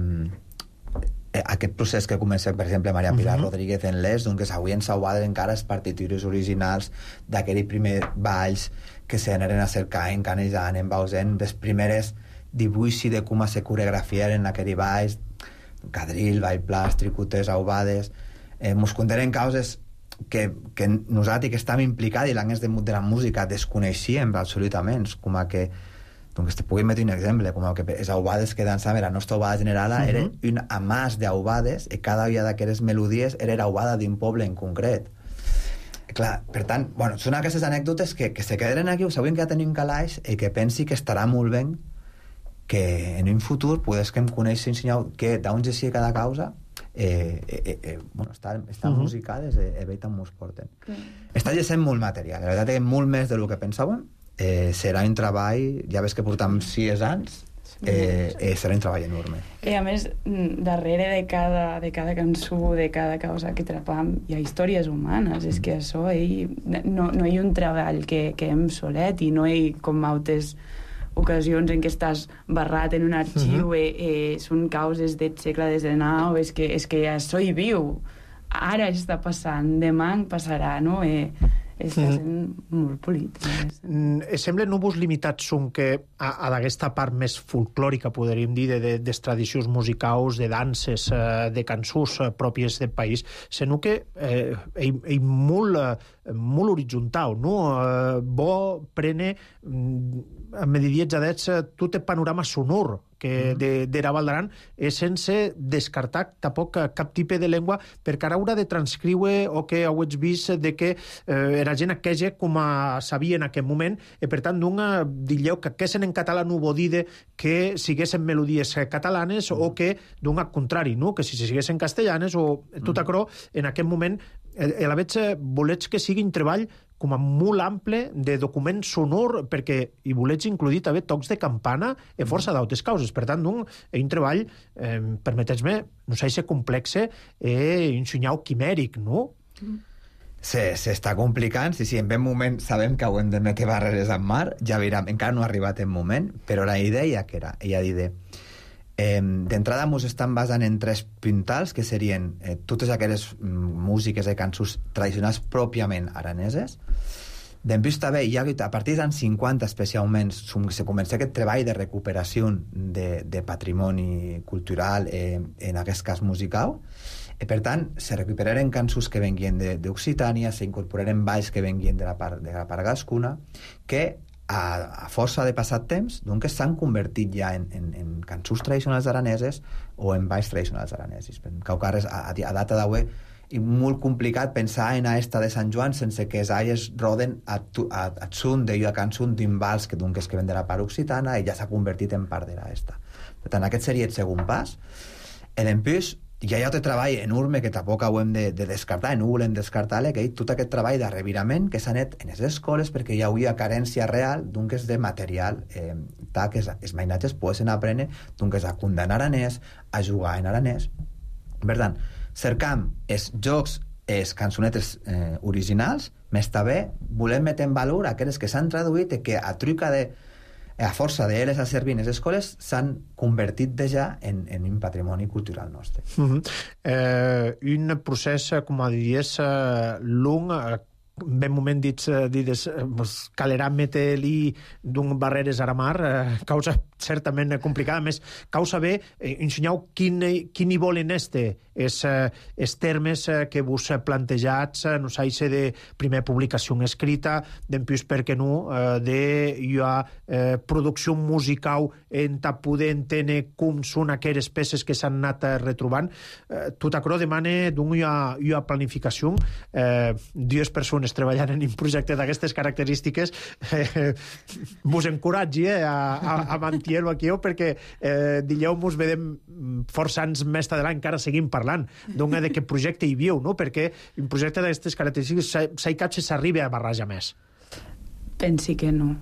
aquest procés que comença, per exemple, Maria Pilar uh -huh. Rodríguez en l'Est, doncs avui han salvat encara les partitures originals d'aquells primers balls que s'anaren a cercar en Canejan, en Bausen, les primeres dibuixos de com se coreografiaren aquells balls, quadril, ball plàs, tricoters, aubades... Eh, mos contenen causes que, que nosaltres que estàvem implicats i l'anglès de, de la música desconeixíem absolutament, com a que doncs te pugui metre un exemple, com a que les aubades que dansàvem, la nostra aubada general uh -huh. era un amàs d'aubades i cada una d'aquestes melodies era l'aubada d'un poble en concret. Clar, per tant, bueno, són aquestes anècdotes que, que se queden aquí, ho sabem que ja tenim calaix i que pensi que estarà molt bé que en un futur podes que em coneixi ensenyar que d'on ja sigui cada causa Eh, eh, eh, bueno, estan, estan uh -huh. musicades i eh, bé tant mos porten. Uh -huh. Està llegint molt material, la veritat és molt més del que pensàvem. Eh, serà un treball, ja ves que portam sis anys, eh, eh, serà un treball enorme. I a més, darrere de cada, de cada cançó, de cada causa que trapam, hi ha històries humanes. Mm. És que això, ell, no, no hi ha un treball que, que hem solet i no hi com altres ocasions en què estàs barrat en un arxiu, uh -huh. eh, eh, són causes del segle diecinueve, és que, és que això hi viu, ara està passant, demà en passarà, no? Eh, està sent molt polit. Mm, sembla núvols limitats són que a, a d'aquesta part més folclòrica, podríem dir, de, de, des tradicions musicals, de danses, eh, de cançons eh, pròpies del país, sinó que eh, ell, ell molt, eh, molt horitzontal, no? Eh, bo prene a medidiets adets tot el panorama sonor que mm. de, de la Val d'Aran és sense descartar tampoc cap tipus de llengua perquè ara haurà de transcriure o que heu vist de que eh, era gent aquella com a sabia en aquest moment i per tant d'un dilleu que aquessin en català no vol dir que siguessin melodies catalanes mm. o que d'un al contrari, no? Que si siguessin castellanes o tot això en aquest moment a la veig volets que sigui un treball com a molt ample de document sonor perquè hi volets incluir també tocs de campana i força d'altres causes. Per tant, un, un treball, eh, permeteu-me, no sé si complexe i un senyal quimèric, no? S'està complicant, sí, sí, en ben moment sabem que hem de metre barreres en mar, ja veurem, encara no ha arribat en moment, però la idea que era, ella dit Eh, d'entrada mos estan basant en tres puntals que serien eh, totes aquelles músiques i cançons tradicionals pròpiament araneses. Després també hi ha a partir dels anys cinquanta especialment se comença aquest treball de recuperació de, de patrimoni cultural eh, en aquest cas musical i per tant se recuperaren cançons que venguien d'Occitània, s'incorporaren balls que venguien de la part, de la part gascuna que A, a força de passat temps, doncs s'han convertit ja en, en, en cançons tradicionals araneses o en balls tradicionals aranesos. Caucares, a, a data d'avui, és molt complicat pensar en aquesta de Sant Joan sense que els aies roden a, a, a tsun d'ella cançó d'un vals que, doncs, que ven de la part occitana i ja s'ha convertit en part de l'esta. Per tant, aquest seria el segon pas. I després, hi ha altre treball enorme que tampoc ho hem de, de descartar, no volem descartar-le, que és tot aquest treball d'arrevirament que s'ha net en les escoles perquè hi hauria carència real d'un que és de material eh, tal que els mainatges poden aprendre d'un que és a condar aranès, a jugar en aranès. Per tant, cercam els jocs, els cançonetes eh, originals, més també volem metre en valor aquelles que s'han traduït i que a truca de a força d'elles a servir en les escoles s'han convertit ja en, en un patrimoni cultural nostre. Uh-huh. eh, un procés, com a diries, eh, long, eh, ben moment dits, dits eh, calerà metre-li d'un barreres a la mar, eh, causa certament complicada, més causa bé eh, ensenyau quin, quin hi volen este és eh, els termes eh, que vos plantejats, eh, no sé de primer publicació escrita, d'empús per què no, eh, de hi ha eh, producció musical en ta poder entendre com són aquelles peces que s'han anat eh, retrobant. Eh, tot això demana d'un hi ha, hi ha planificació, eh, dues persones treballant en un projecte d'aquestes característiques, eh, vos encoratgi eh, a, a, a mantenir-ho aquí, perquè eh, dileu mos vedem força anys més d'avant encara seguim parlant d'un de què projecte hi viu, no? Perquè un projecte d'aquestes característiques s'ha cap se s'arriba a barrejar més. Pensi que no.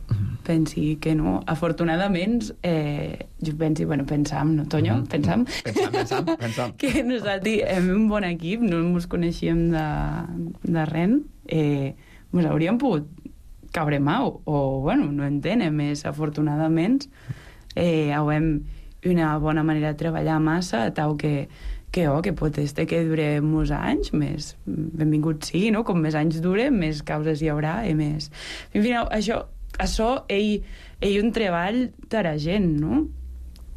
Pensi que no. Afortunadament, eh, jo pensi, bueno, pensam, no, Toño? Mm-hmm. Pensam? Pensam, pensam, pensam. Que nosaltres hem un bon equip, no ens coneixíem de, de res, eh, ens hauríem pogut caure mau, o, bueno, no entenem més, afortunadament, eh, hem una bona manera de treballar massa, tau que que, oh, que pot este que dure molts anys, més benvingut sí, no? Com més anys dure, més causes hi haurà i més... En fi, això, això ell, ell un treball de la gent, no?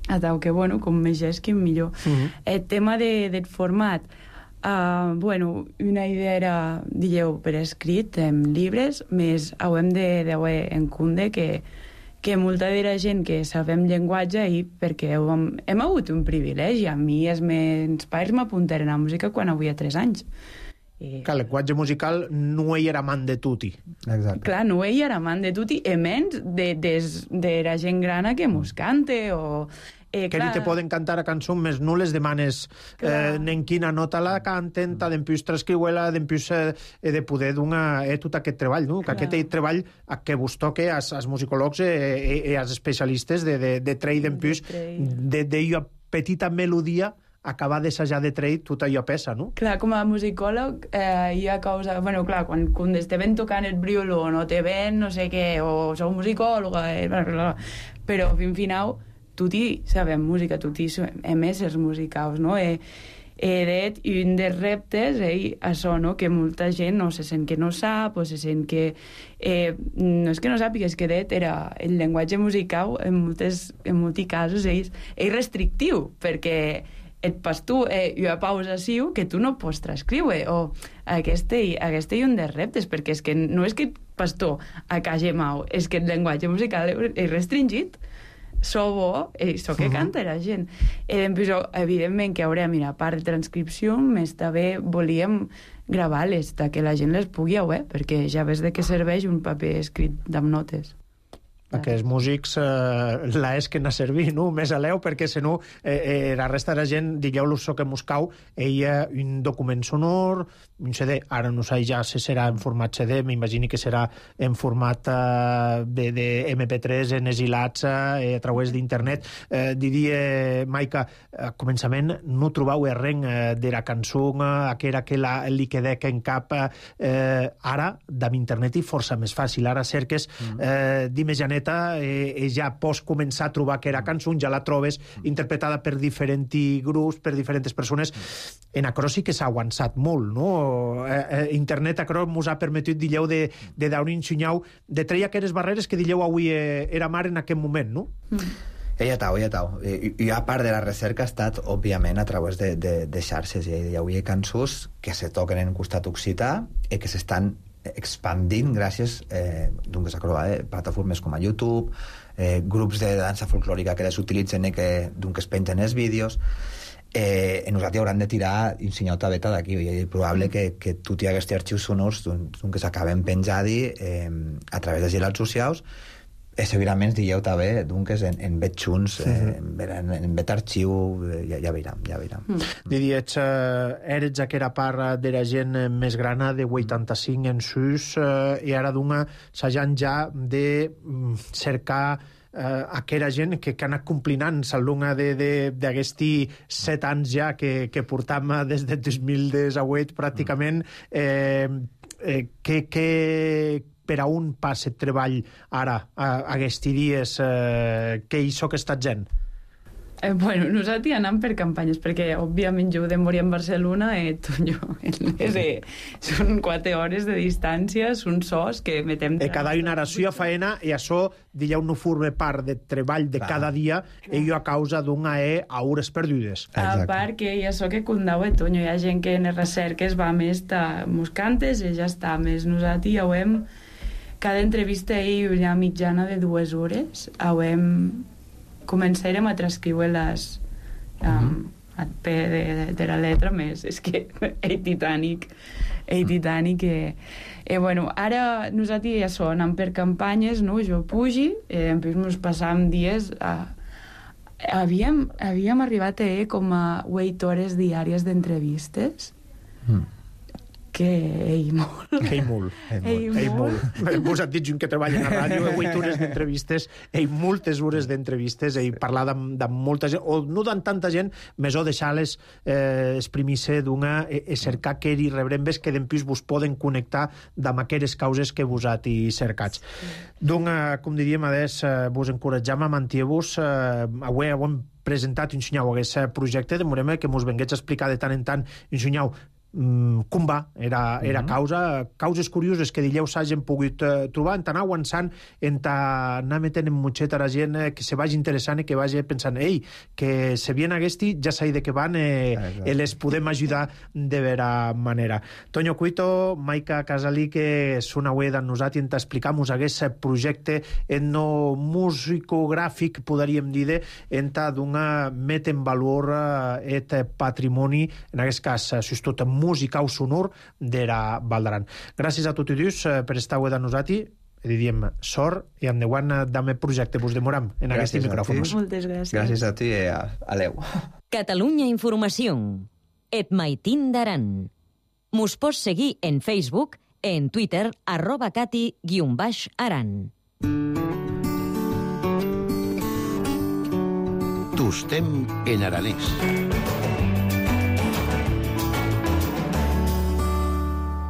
Atau que, bueno, com més gesqui, millor. Uh-huh. El tema de, del format, uh, bueno, una idea era, digueu, per escrit, en llibres, més hem de veure en compte que que molta de la gent que sabem llenguatge i perquè hem, hem hagut un privilegi. A mi els meus pares m'apuntaren a música quan havia tres anys. I... Que el llenguatge musical no hi era man de tutti. Exacte. Clar, no hi era man de tutti, i menys de, de, de la gent grana que mos cante o... Eh, que ni te poden cantar a cançó, més no les demanes eh, en quina nota la canten, mm. d'empius transcriuela, d'empius eh, de poder donar eh, tot aquest treball, no? Que aquest treball que vos toque als, als musicòlegs i eh, eh, als especialistes de, de, de trei d'empius, de, de jo petita melodia acabar d'assajar de trade, tot allò pesa, no? Clar, com a musicòleg eh, hi ha causa... Bueno, clar, quan, quan te ven tocant el brioló, no te ven no sé què, o sou musicòloga, eh, bla, bla, bla. Però, fin final, tutti sabem música, tutti hem éssers musicals, no? Eh, eh, i un dels reptes, eh, això, no? Que molta gent no se sent que no sap, o se sent que... Eh, no és que no sàpiga, és que det era el llenguatge musical, en moltes, en molts casos, és, és restrictiu, perquè et pas tu eh, una pausa siu que tu no pots transcriure, o aquest, aquest és un dels reptes, perquè és que no és que pas tu a casa mau, és que el llenguatge musical és restringit. So bo, eh, so que canta la gent. Eh, però, evidentment, que haurem, mira, a part de transcripció, més també volíem gravar-les, que la gent les pugui veure, perquè ja ves de què serveix un paper escrit amb notes. Aquests músics eh, la és que n'ha servit, no? Més a l'eu, perquè si no eh, eh, la resta de la gent, digueu-los so que Moscau, ella un document sonor, un C D, ara no sé ja si serà en format C D, m'imagini que serà en format eh, de, de M P tres, en esilats eh, a través d'internet. Eh, diria, Maica, a començament no trobau res eh, de la cançó, eh, que era que la, li quedec en cap. Eh, ara, d'amb internet i força més fàcil. Ara cerques, eh, dime Janet, Eh, ja pots començar a trobar que era cançó, ja la trobes interpretada per diferents grups, per diferents persones. En acro sí que s'ha avançat molt, no? Eh, eh, internet acro mos ha permetit, dilleu, de, de dar un ensenyau, de treia aquelles barreres que dilleu avui eh, era mar en aquest moment, no? Mm. Ella tau, ella tau. I, i a part de la recerca ha estat, òbviament, a través de, de, de xarxes. Hi havia cançons que se toquen en costat occità i que s'estan expandint gràcies eh, doncs, a eh, plataformes com a YouTube, eh, grups de dansa folclòrica que les utilitzen i que, doncs, es pengen els vídeos. Eh, nosaltres hauran de tirar un senyal tabeta d'aquí, i és probable que, que tots aquests arxius sonors doncs, que s'acaben penjant eh, a través de xarxes socials. Eh, segurament dieu també, doncs, en, en vet junts, eh, en, en vet arxiu, eh, ja, ja veiram, ja veiram. Mm. Diries, eh, eres aquella part de la gent més grana de vuitanta-cinc en sus, eh, i ara d'una s'hajan ja de mm, cercar eh, aquella gent que, que ha anat complinant l'alumna d'aquests set anys ja que, que portam des de dos mil disset pràcticament, eh, eh, que... que per a un passe treball ara, a, a aquests dies, eh, que hi soc aquesta gent? Eh, bueno, nosaltres anem per campanyes, perquè, òbviament, jo de morir en Barcelona, eh, jo, eh, són quatre hores de distància, són sos que metem... E cada una narració a faena, i això, dilleu, no forma part de treball de cada dia, i jo a causa d'una e a hores perdudes. A part que hi ha això que condau a Toño, hi ha gent que en les recerques va més de moscantes, i ja està, més nosaltres ja ho hem... Cada entrevista hi una mitjana de dues hores, hem... començarem a transcriure-les um, a pe de, de, de la letra més. És que és titànic, és titànic. Eh, eh, bueno, ara nosaltres ja som, anem per campanyes, no? Jo pugi, eh, ens passàvem dies... A... Havíem, havíem arribat a eh, com a vuit hores diàries d'entrevistes, mm. que ei molt. Ei molt. Ei molt. Ei molt. Vos et dit gent que treballa a la ràdio, he vuit hores d'entrevistes, ei moltes hores d'entrevistes, ei parlar amb, amb molta gent, o no d'en tanta gent, més o deixar-les eh, exprimir-se d'una, e, e cercar que hi rebrembes que d'empús vos poden connectar amb aquelles causes que vos hat i cercats. D'una, com diríem, adés, eh, vos encoratjam a mantir-vos, eh, avui ho hem presentat, ensenyau, aquest projecte, demorem que mos venguets a explicar de tant en tant, ensenyau, com va, era, era uh-huh. causa, causes curioses que dileu s'hagin pogut uh, trobar, en tant avançant, en tant anar metent en mutxet a la gent eh, que se vagi interessant i que vagi pensant, ei, que se vien aguesti, ja s'ha de que van, eh, eh, les podem ajudar de vera manera. Toño Cuito, Maica Casalí, que són avui d'en nosaltres, en t'explicamos aquest projecte etno musicogràfic, podríem dir, en ta d'una met en valor eh, et patrimoni, en aquest cas, eh, si és tot música o sonor d'era Valdaran. Gràcies a tots i dos eh, per estar avui de nosaltres. Diríem sort i endavant d'ame projecte vos demoram en aquests micròfons. Moltes gràcies. Gràcies a tu i a, a l'Eu. Catalunya Informació. Et maitin d'aran. Mos pots seguir en Facebook, en Twitter, arroba cati guion baix aran. Tostem en aranès.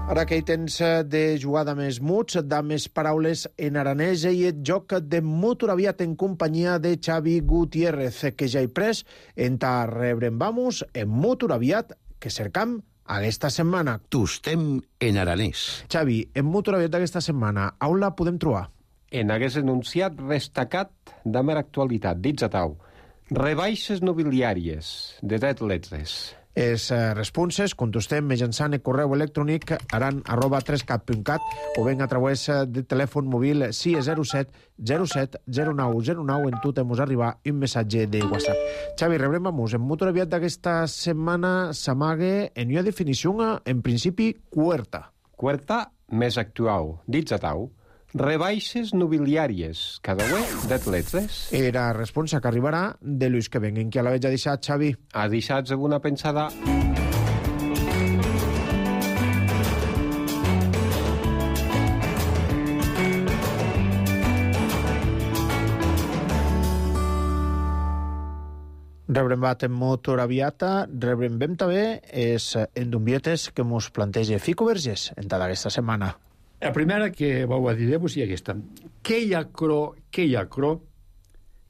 Ara que hi tens de jugar de més muts, de més paraules en aranès, i et joc de Motor Aviat en companyia de Xavi Gutiérrez, que ja hi pres, en ta rebrem vamos en Motor Aviat, que cercam aquesta setmana. Tostem en aranès. Xavi, en Motor Aviat d'aquesta setmana, on la podem trobar? En hagués enunciat destacat de mera actualitat, dits a tau. Rebaixes nobiliàries de dret letres. Els eh, responses contestem mitjançant el correu electrònic aran arroba tres cat punt cat o ben a través de telèfon mòbil sis zero set zero set zero nou zero nou en tu temos arribar un missatge de WhatsApp. Xavi, rebrem a mus. En Motor Aviat d'aquesta setmana s'amague en una definició en principi cuerta. Cuerta més actual, dits a tau. Rebaixes nobiliàries, cada uè det letres. Era responsa que arribarà de Lluís que venguen, que a la veig ha deixat, Xavi. Ha deixat alguna pensada? Rebrem bat en Motor Aviata, rebrem bem també és en d'umbietes que mos planteja Fico Vergés en tota aquesta setmana. La primera que vau a dir-vos és aquesta. Que hi ha cro, que hi ha cro,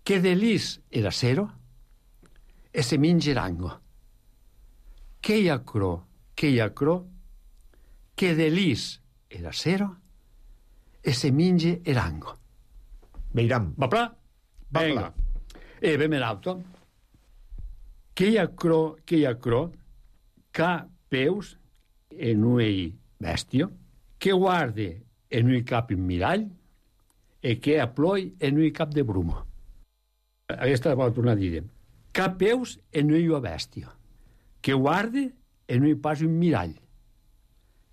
que de lis era cero, e se minge rango. Que hi ha cro, que hi ha cro, que de lis era cero, e se minge rango. Veiram. Va pla? Venga. E vem en auto. Que hi ha cro, que hi ha cro, ca peus en uei bestio, que guarde en un cap un mirall e que aploi en un cap de bruma. Aquesta va tornar a dir. Cap peus en un bèstia, que guarde en un pas un mirall,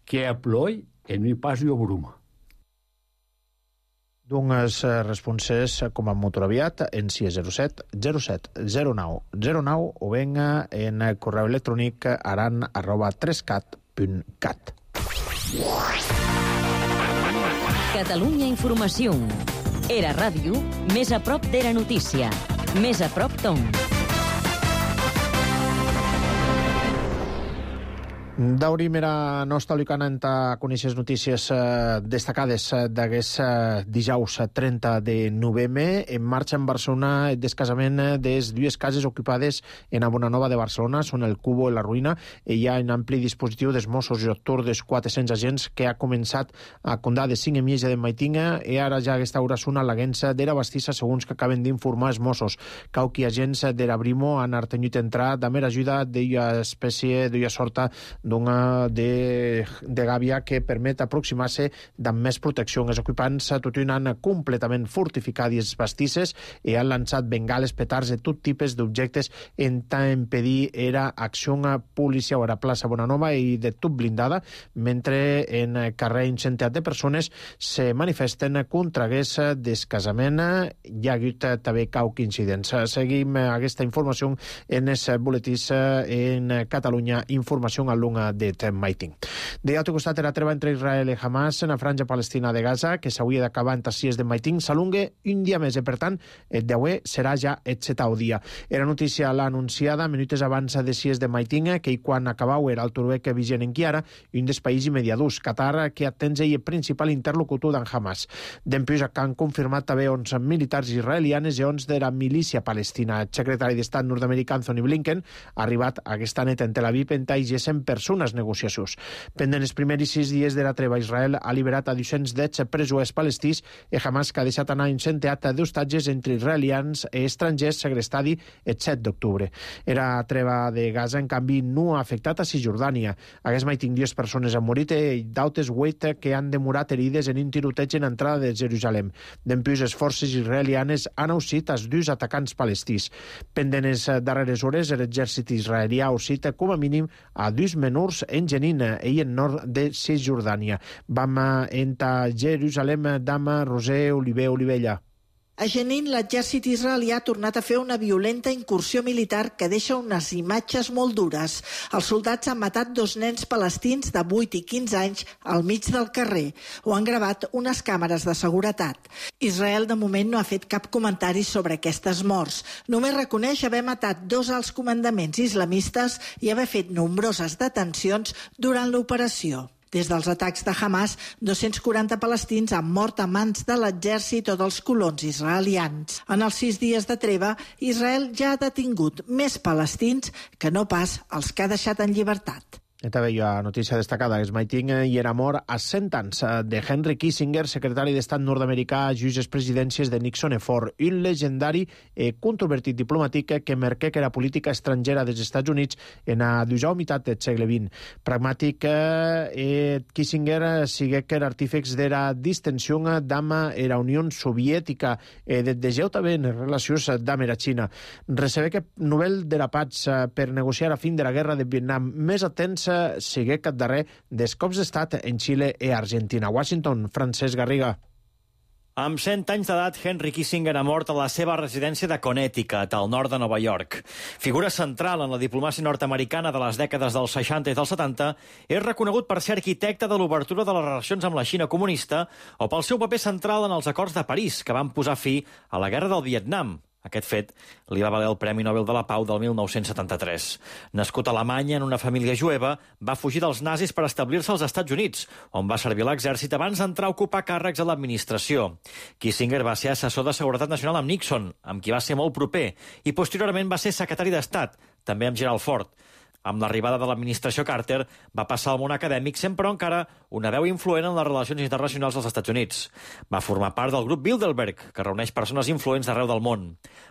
que aploi en un pas un bruma. D'unes responses com a Motor Aviat en sis zero set zero set zero nou zero nou o venga en correu electrònic aran arroba tres cat punt cat. Catalunya Informació. Era ràdio, més a prop d'era notícia. Més a prop tom. Daurim era nostra lucana en ta coneixes notícies eh, destacades eh, d'aquest eh, dijous trenta de novembre. En marxa en Barcelona el descasament de les dues cases ocupades en a Bonanova de Barcelona, són el Cubo i la Ruïna, i hi ha un ampli dispositiu dels Mossos i autor dels quatre-cents agents que ha començat a condar de cinc emieja de Maitinga i ara ja aquesta hora són a l'aguença d'era bastissa segons que acaben d'informar els Mossos. Cauqui agents d'era Brimo han artenyut entrar de mera ajuda d'una espècie, d'una sorta d'una de, de gàbia que permet aproximar-se amb més protecció. Els ocupants tot un han completament fortificat les bastisses i han lançat bengales, petards de tot tipus d'objectes en tant impedir era acció policial a la plaça Bonanova i de tot blindada, mentre en carrer incendiat de persones se manifesten contra aquest descasament. Hi ha hagut també cauc incidents. Seguim aquesta informació en els boletins en Catalunya Informació en d'un det maitin. De altre costat, la treva entre Israel i Hamas en la franja palestina de Gaza, que s'hauria d'acabar entre sis de maitin, s'alunga un dia més, i per tant, el d'avui serà ja el setau dia. Era notícia l'ha anunciada minuts abans de sis de maitin, que quan acabau era el turbec vigent en Chiara, un dels països immediadus, Qatar, que atens el principal interlocutor d'en Hamas. Dempuix que han confirmat també onze militars israelianes i onze de la milícia palestina. El secretari d'Estat nord-americà Anthony Blinken ha arribat aquesta nit en Tel Aviv en taigesen persones negociacions. Pendent els primers sis dies de la treva, Israel ha liberat a dos-cents deu presos palestins i Hamas que ha deixat anar un centeat d'hostatges entre israelians i estrangers segrestadi el set d'octubre. Era treva de Gaza, en canvi, no ha afectat a Cisjordània. Aquests mai tinc dues persones han morit i d'altres vuit que han demorat herides en un tiroteig en entrada de Jerusalem. Dempuix, les forces israelianes han aussit els dos atacants palestins. Pendent les darreres hores, l'exèrcit israelià ha aussit com a mínim a dos menors en Jenin i en nord de Cisjordània. Vam entrar a Jerusalem, Dama, Roser, Oliver, Olivella. A Jenin, l'exèrcit israelià ha tornat a fer una violenta incursió militar que deixa unes imatges molt dures. Els soldats han matat dos nens palestins de vuit i quinze anys al mig del carrer. Ho han gravat unes càmeres de seguretat. Israel, de moment, no ha fet cap comentari sobre aquestes morts. Només reconeix haver matat dos alts comandaments islamistes i haver fet nombroses detencions durant l'operació. Des dels atacs de Hamas, dos-cents quaranta palestins han mort a mans de l'exèrcit o dels colons israelians. En els sis dies de treva, Israel ja ha detingut més palestins que no pas els que ha deixat en llibertat. També hi ha notícia destacada. Es maiting i era mort a cent anys de Henry Kissinger, secretari d'Estat nord-americà, just les presidències de Nixon i Ford, un legendari i controvertit diplomàtic que marqué que la política estrangera dels Estats Units en la dusau meitat del segle vint. Pragmàtic, eh, Kissinger sigue que l'artífex de la distensió amb la Unió Soviètica eh, de deseu també en les relacions amb la Xina. Recebe que novel de la paz per negociar a fin de la guerra de Vietnam més atents sigue cap darrer dels cops d'estat en Xile i Argentina. Washington, Francesc Garriga. Amb cent anys d'edat, Henry Kissinger ha mort a la seva residència de Connecticut, al nord de Nova York. Figura central en la diplomàcia nord-americana de les dècades dels seixanta i dels setanta, és reconegut per ser arquitecte de l'obertura de les relacions amb la Xina comunista o pel seu paper central en els acords de París, que van posar fi a la guerra del Vietnam. Aquest fet li va valer el Premi Nobel de la Pau del mil nou-cents setanta-tres. Nascut a Alemanya en una família jueva, va fugir dels nazis per establir-se als Estats Units, on va servir a l'exèrcit abans d'entrar a ocupar càrrecs a l'administració. Kissinger va ser assessor de Seguretat Nacional amb Nixon, amb qui va ser molt proper, i posteriorment va ser secretari d'Estat, també amb Gerald Ford. Amb l'arribada de l'administració Carter, va passar al món acadèmic, sent però encara una veu influent en les relacions internacionals dels Estats Units. Va formar part del grup Bilderberg, que reuneix persones influents d'arreu del món.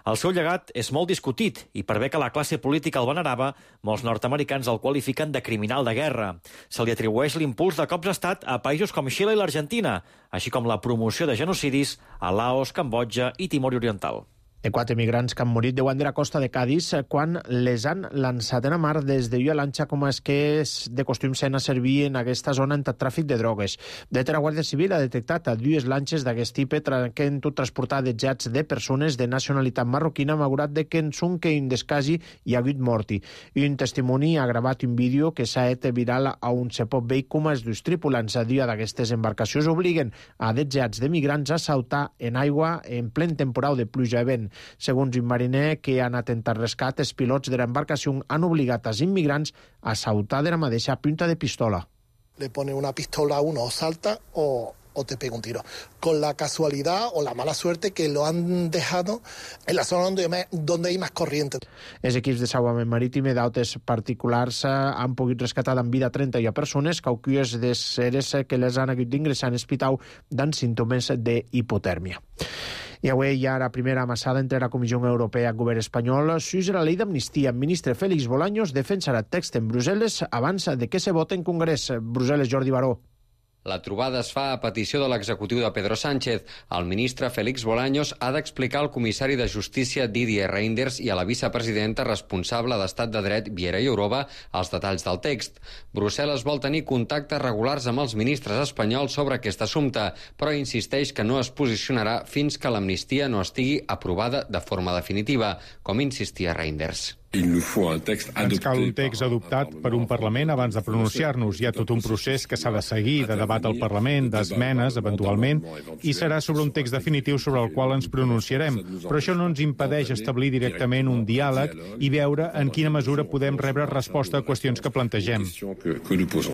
El seu llegat és molt discutit, i per bé que la classe política el venerava, molts nord-americans el qualifiquen de criminal de guerra. Se li atribueix l'impuls de cops d'estat a països com Xile i l'Argentina, així com la promoció de genocidis a Laos, Cambodja i Timor Oriental. De quatre migrants que han morit deuen de la costa de Cádiz quan les han lançat en la mar des de la lanxa com és que és de costum sent a servir en aquesta zona en tràfic de drogues. De la Guàrdia Civil ha detectat a dues lanxes d'aquest tipus que han tot transportat de jets de persones de nacionalitat marroquina malgrat de que en són que un descasi hi ha hagut morti. Un testimoni ha gravat un vídeo que s'ha fet viral on se pot veure com els dos tripulants a dia d'aquestes embarcacions obliguen a de jets de migrants a saltar en aigua en plen temporal de pluja i vent. Segons un mariner que ha anat a intentar rescat, els pilots de l'embarcació han obligat als immigrants a saltar de la mateixa punta de pistola. Le pone una pistola a uno, o salta o, o te pega un tiro. Con la casualidad o la mala suerte que lo han dejado en la zona donde, donde hay más corriente. Els equips de salvament marítim i d'altres particulars han pogut rescatar en vida trenta i persones, cauquies de seres que les han hagut d'ingressar en hospital amb símptomes d'hipotèrmia. I avui hi ha la primera amassada entre la Comissió Europea i el govern espanyol sus la llei d'amnistia. El ministre Félix Bolaños defensarà el text en Brussel·les abans de que se vote en Congrés. Brussel·les, Jordi Baró. La trobada es fa a petició de l'executiu de Pedro Sánchez. El ministre Félix Bolaños ha d'explicar al comissari de Justícia Didier Reynders i a la vicepresidenta responsable d'Estat de Dret Viera Jourova els detalls del text. Brussel·les vol tenir contactes regulars amb els ministres espanyols sobre aquest assumpte, però insisteix que no es posicionarà fins que l'amnistia no estigui aprovada de forma definitiva, com insistia Reynders. Ens cal un text adoptat per un Parlament abans de pronunciar-nos. Hi ha tot un procés que s'ha de seguir, de debat al Parlament, d'esmenes, eventualment, i serà sobre un text definitiu sobre el qual ens pronunciarem. Però això no ens impedeix establir directament un diàleg i veure en quina mesura podem rebre resposta a qüestions que plantegem.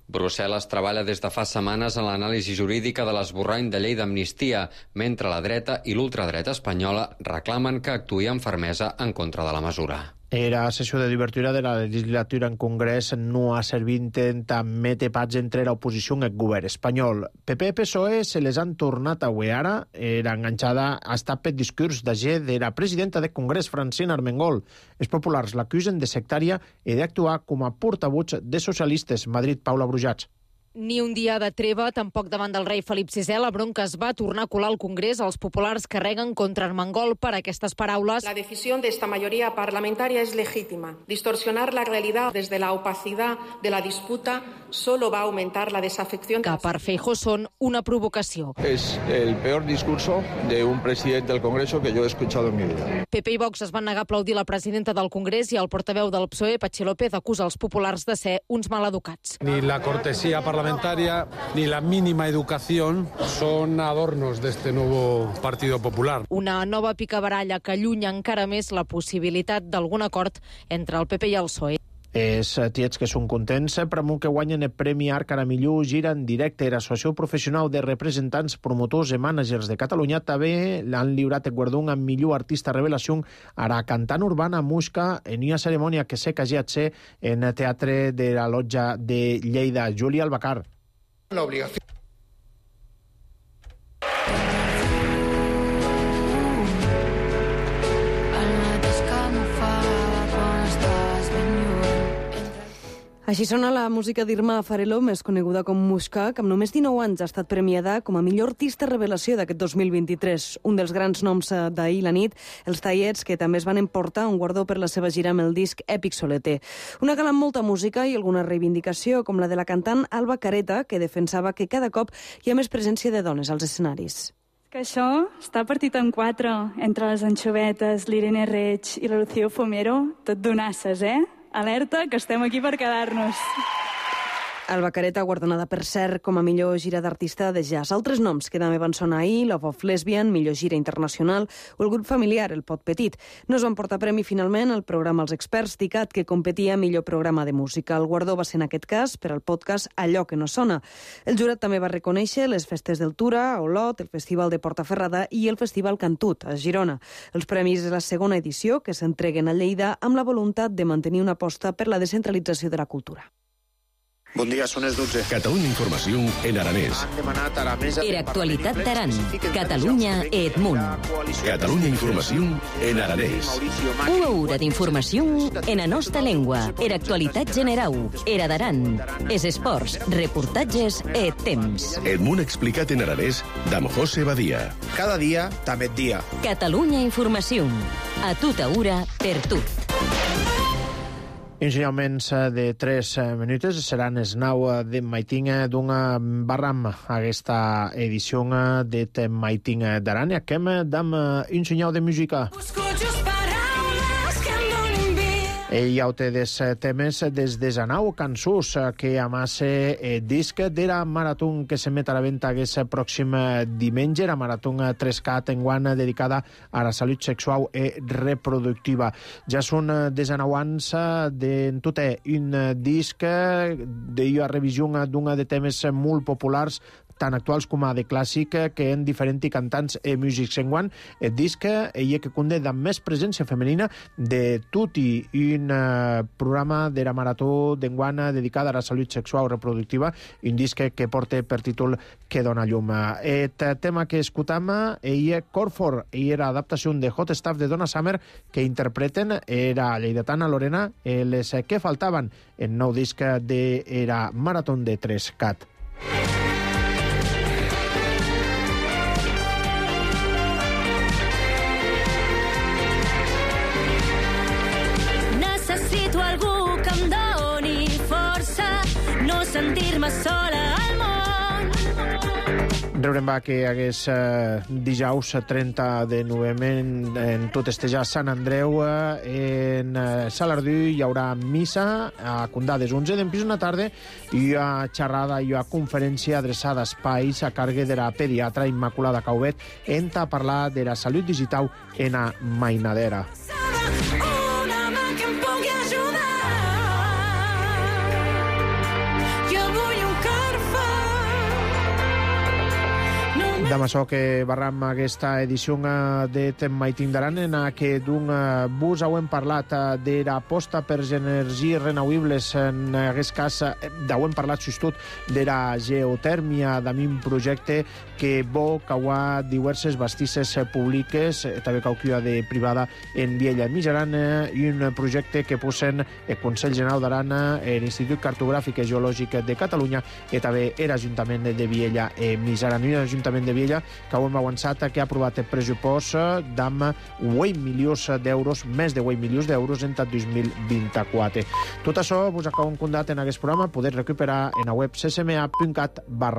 Brussel·les treballa des de fa setmanes en l'anàlisi jurídica de l'esborrany de llei d'amnistia, mentre la dreta i l'ultradreta espanyola reclamen que actuï amb fermesa en contra de la mesura. Era sessió de divertura de la legislatura en Congrés no ha servit en mete pats entre l'oposició i el govern espanyol. P P i P S O E se les han tornat a avui ara. Era enganxada ha estat per discurs d'agent de la presidenta del Congrés, Francina Armengol. Els populars l'acusen de sectària i d'actuar com a portaveus de socialistes. Madrid, Paula Brujats. Ni un dia de treva, tampoc davant del rei Felip sisè. La bronca es va tornar a colar al Congrés. Els populars carreguen contra Armengol per aquestes paraules. La decisión de esta mayoría parlamentaria es legítima. Distorsionar la realidad desde la opacidad de la disputa solo va a aumentar la desafección. Que per Feijóo són una provocació. Es el peor discurso de un presidente del Congreso que yo he escuchado en mi vida. P P i Vox es van negar a aplaudir la presidenta del Congrés i el portaveu del P S O E, Patxi López, acusa els populars de ser uns maleducats. Ni la cortesía parlamentaria ni la mínima educación son adornos de este nuevo Partido Popular. Una nova picabaralla que allunya encara més la possibilitat d'algun acord entre el P P i el P S O E. Els tiets que són contents per amunt que guanyen el Premi Arc a millor gira en directe. L'Associació Professional de Representants, Promotors i Mànagers de Catalunya també l'han lliurat el guardó amb millor artista revelació a la cantant urbana Musca en una cerimònia que sé que hagi de ser en el Teatre de la Lotja de Lleida. Júlia Albacar. L'obligació. Així sona la música d'Irma Fareló, més coneguda com Musca, que amb només dinou anys ha estat premiada com a millor artista revelació d'aquest dos mil vint-i-tres. Un dels grans noms d'ahir la nit, els Tallets, que també es van emportar un guardó per la seva gira amb el disc Èpic Soleter. Una gala amb molta música i alguna reivindicació, com la de la cantant Alba Careta, que defensava que cada cop hi ha més presència de dones als escenaris. Que això està partit en quatre, entre les Anxovetes, l'Irene Reig i la Lucía Fomero, tot donasses, eh? Alerta, que estem aquí per quedar-nos. Alba Careta, guardonada per cert com a millor gira d'artista de jazz. Altres noms que també van sonar ahir, Love of Lesbian, millor gira internacional, o el grup familiar, el Pot Petit. No es van portar premi finalment al programa Els Experts d'ICAT, que competia millor programa de música. El guardó va ser en aquest cas per al podcast Allò que no sona. El jurat també va reconèixer les festes del Tura, a Olot, el Festival de Portaferrada i el Festival Cantut, a Girona. Els premis de la segona edició, que s'entreguen a Lleida amb la voluntat de mantenir una aposta per la descentralització de la cultura. Bon dia, són les dotze. Catalunya Informació en aranès. Era actualitat d'Aran. Catalunya et munt. Catalunya Informació en aranès. Una hora d'informació en la nostra llengua. Era actualitat generau. Era d'Aran. Es esports, reportatges et temps. El munt explicat en aranès d'Am José Badia. Cada dia, també dia. Catalunya Informació. A tota hora, per tu. Ensenyaments de tres minuts seran els nou de Maiting d'una barram a aquesta edició de Maiting d'Aran. I acabem amb un senyal de música. Ell ja té des temes des de Zanau Cançús, que amassa el disc de la marató que s'emet a la venda aquest pròxim diumenge, la marató tres K enguany dedicada a la salut sexual i reproductiva. Ja són de Zanau anys d'en tot un disc de revisió d'un de temes molt populars tan actuals com a de clàssic, que en diferents cantants i músics. Enguany, el disc ell que conté amb més presència femenina de tot i un programa de la marató d'enguany dedicada a la salut sexual reproductiva, un disc que porta per títol Que dona llum. El tema que escoltam ell Corfor, ell era adaptació de Hot Stuff de Donna Summer, que interpreten era lleidatana Lorena, les que faltaven el nou disc de la marató de tres Cat. Necessito algú que em doni força, no sentir-me sola al món. Reurem va que hagués eh, dijous trenta de novembre en, en tot estejar Sant Andreu eh, en eh, Salardú hi haurà missa a Condades onze d'empís una tarda i hi ha xerrada i hi ha conferència adreçada a espais a càrrec de la pediatra Immaculada Caubet en a parlar de la salut digital en a Mainadera. Damb açò que barram aquesta edició de Temaitim d'Aran en què d'un bus heu parlat de l'aposta per energies renovables, en aquest cas heu parlat justut de la geotèrmia, d'un un projecte que vol cauar diverses bastisses públiques, també cauquia de privada en Viella i Mijaran, i un projecte que posen el Consell General d'Aran, l'Institut Cartogràfic i Geològic de Catalunya i també l'Ajuntament de Viella i Mijaran. I l'Ajuntament de Viella que ho hem avançat, que ha aprovat el pressupost d'amb vuit milions d'euros, més de vuit milions d'euros en dos mil vint-i-quatre. Tot això vos acabem condat en aquest programa, podeu recuperar en la web c s m a punt cat barra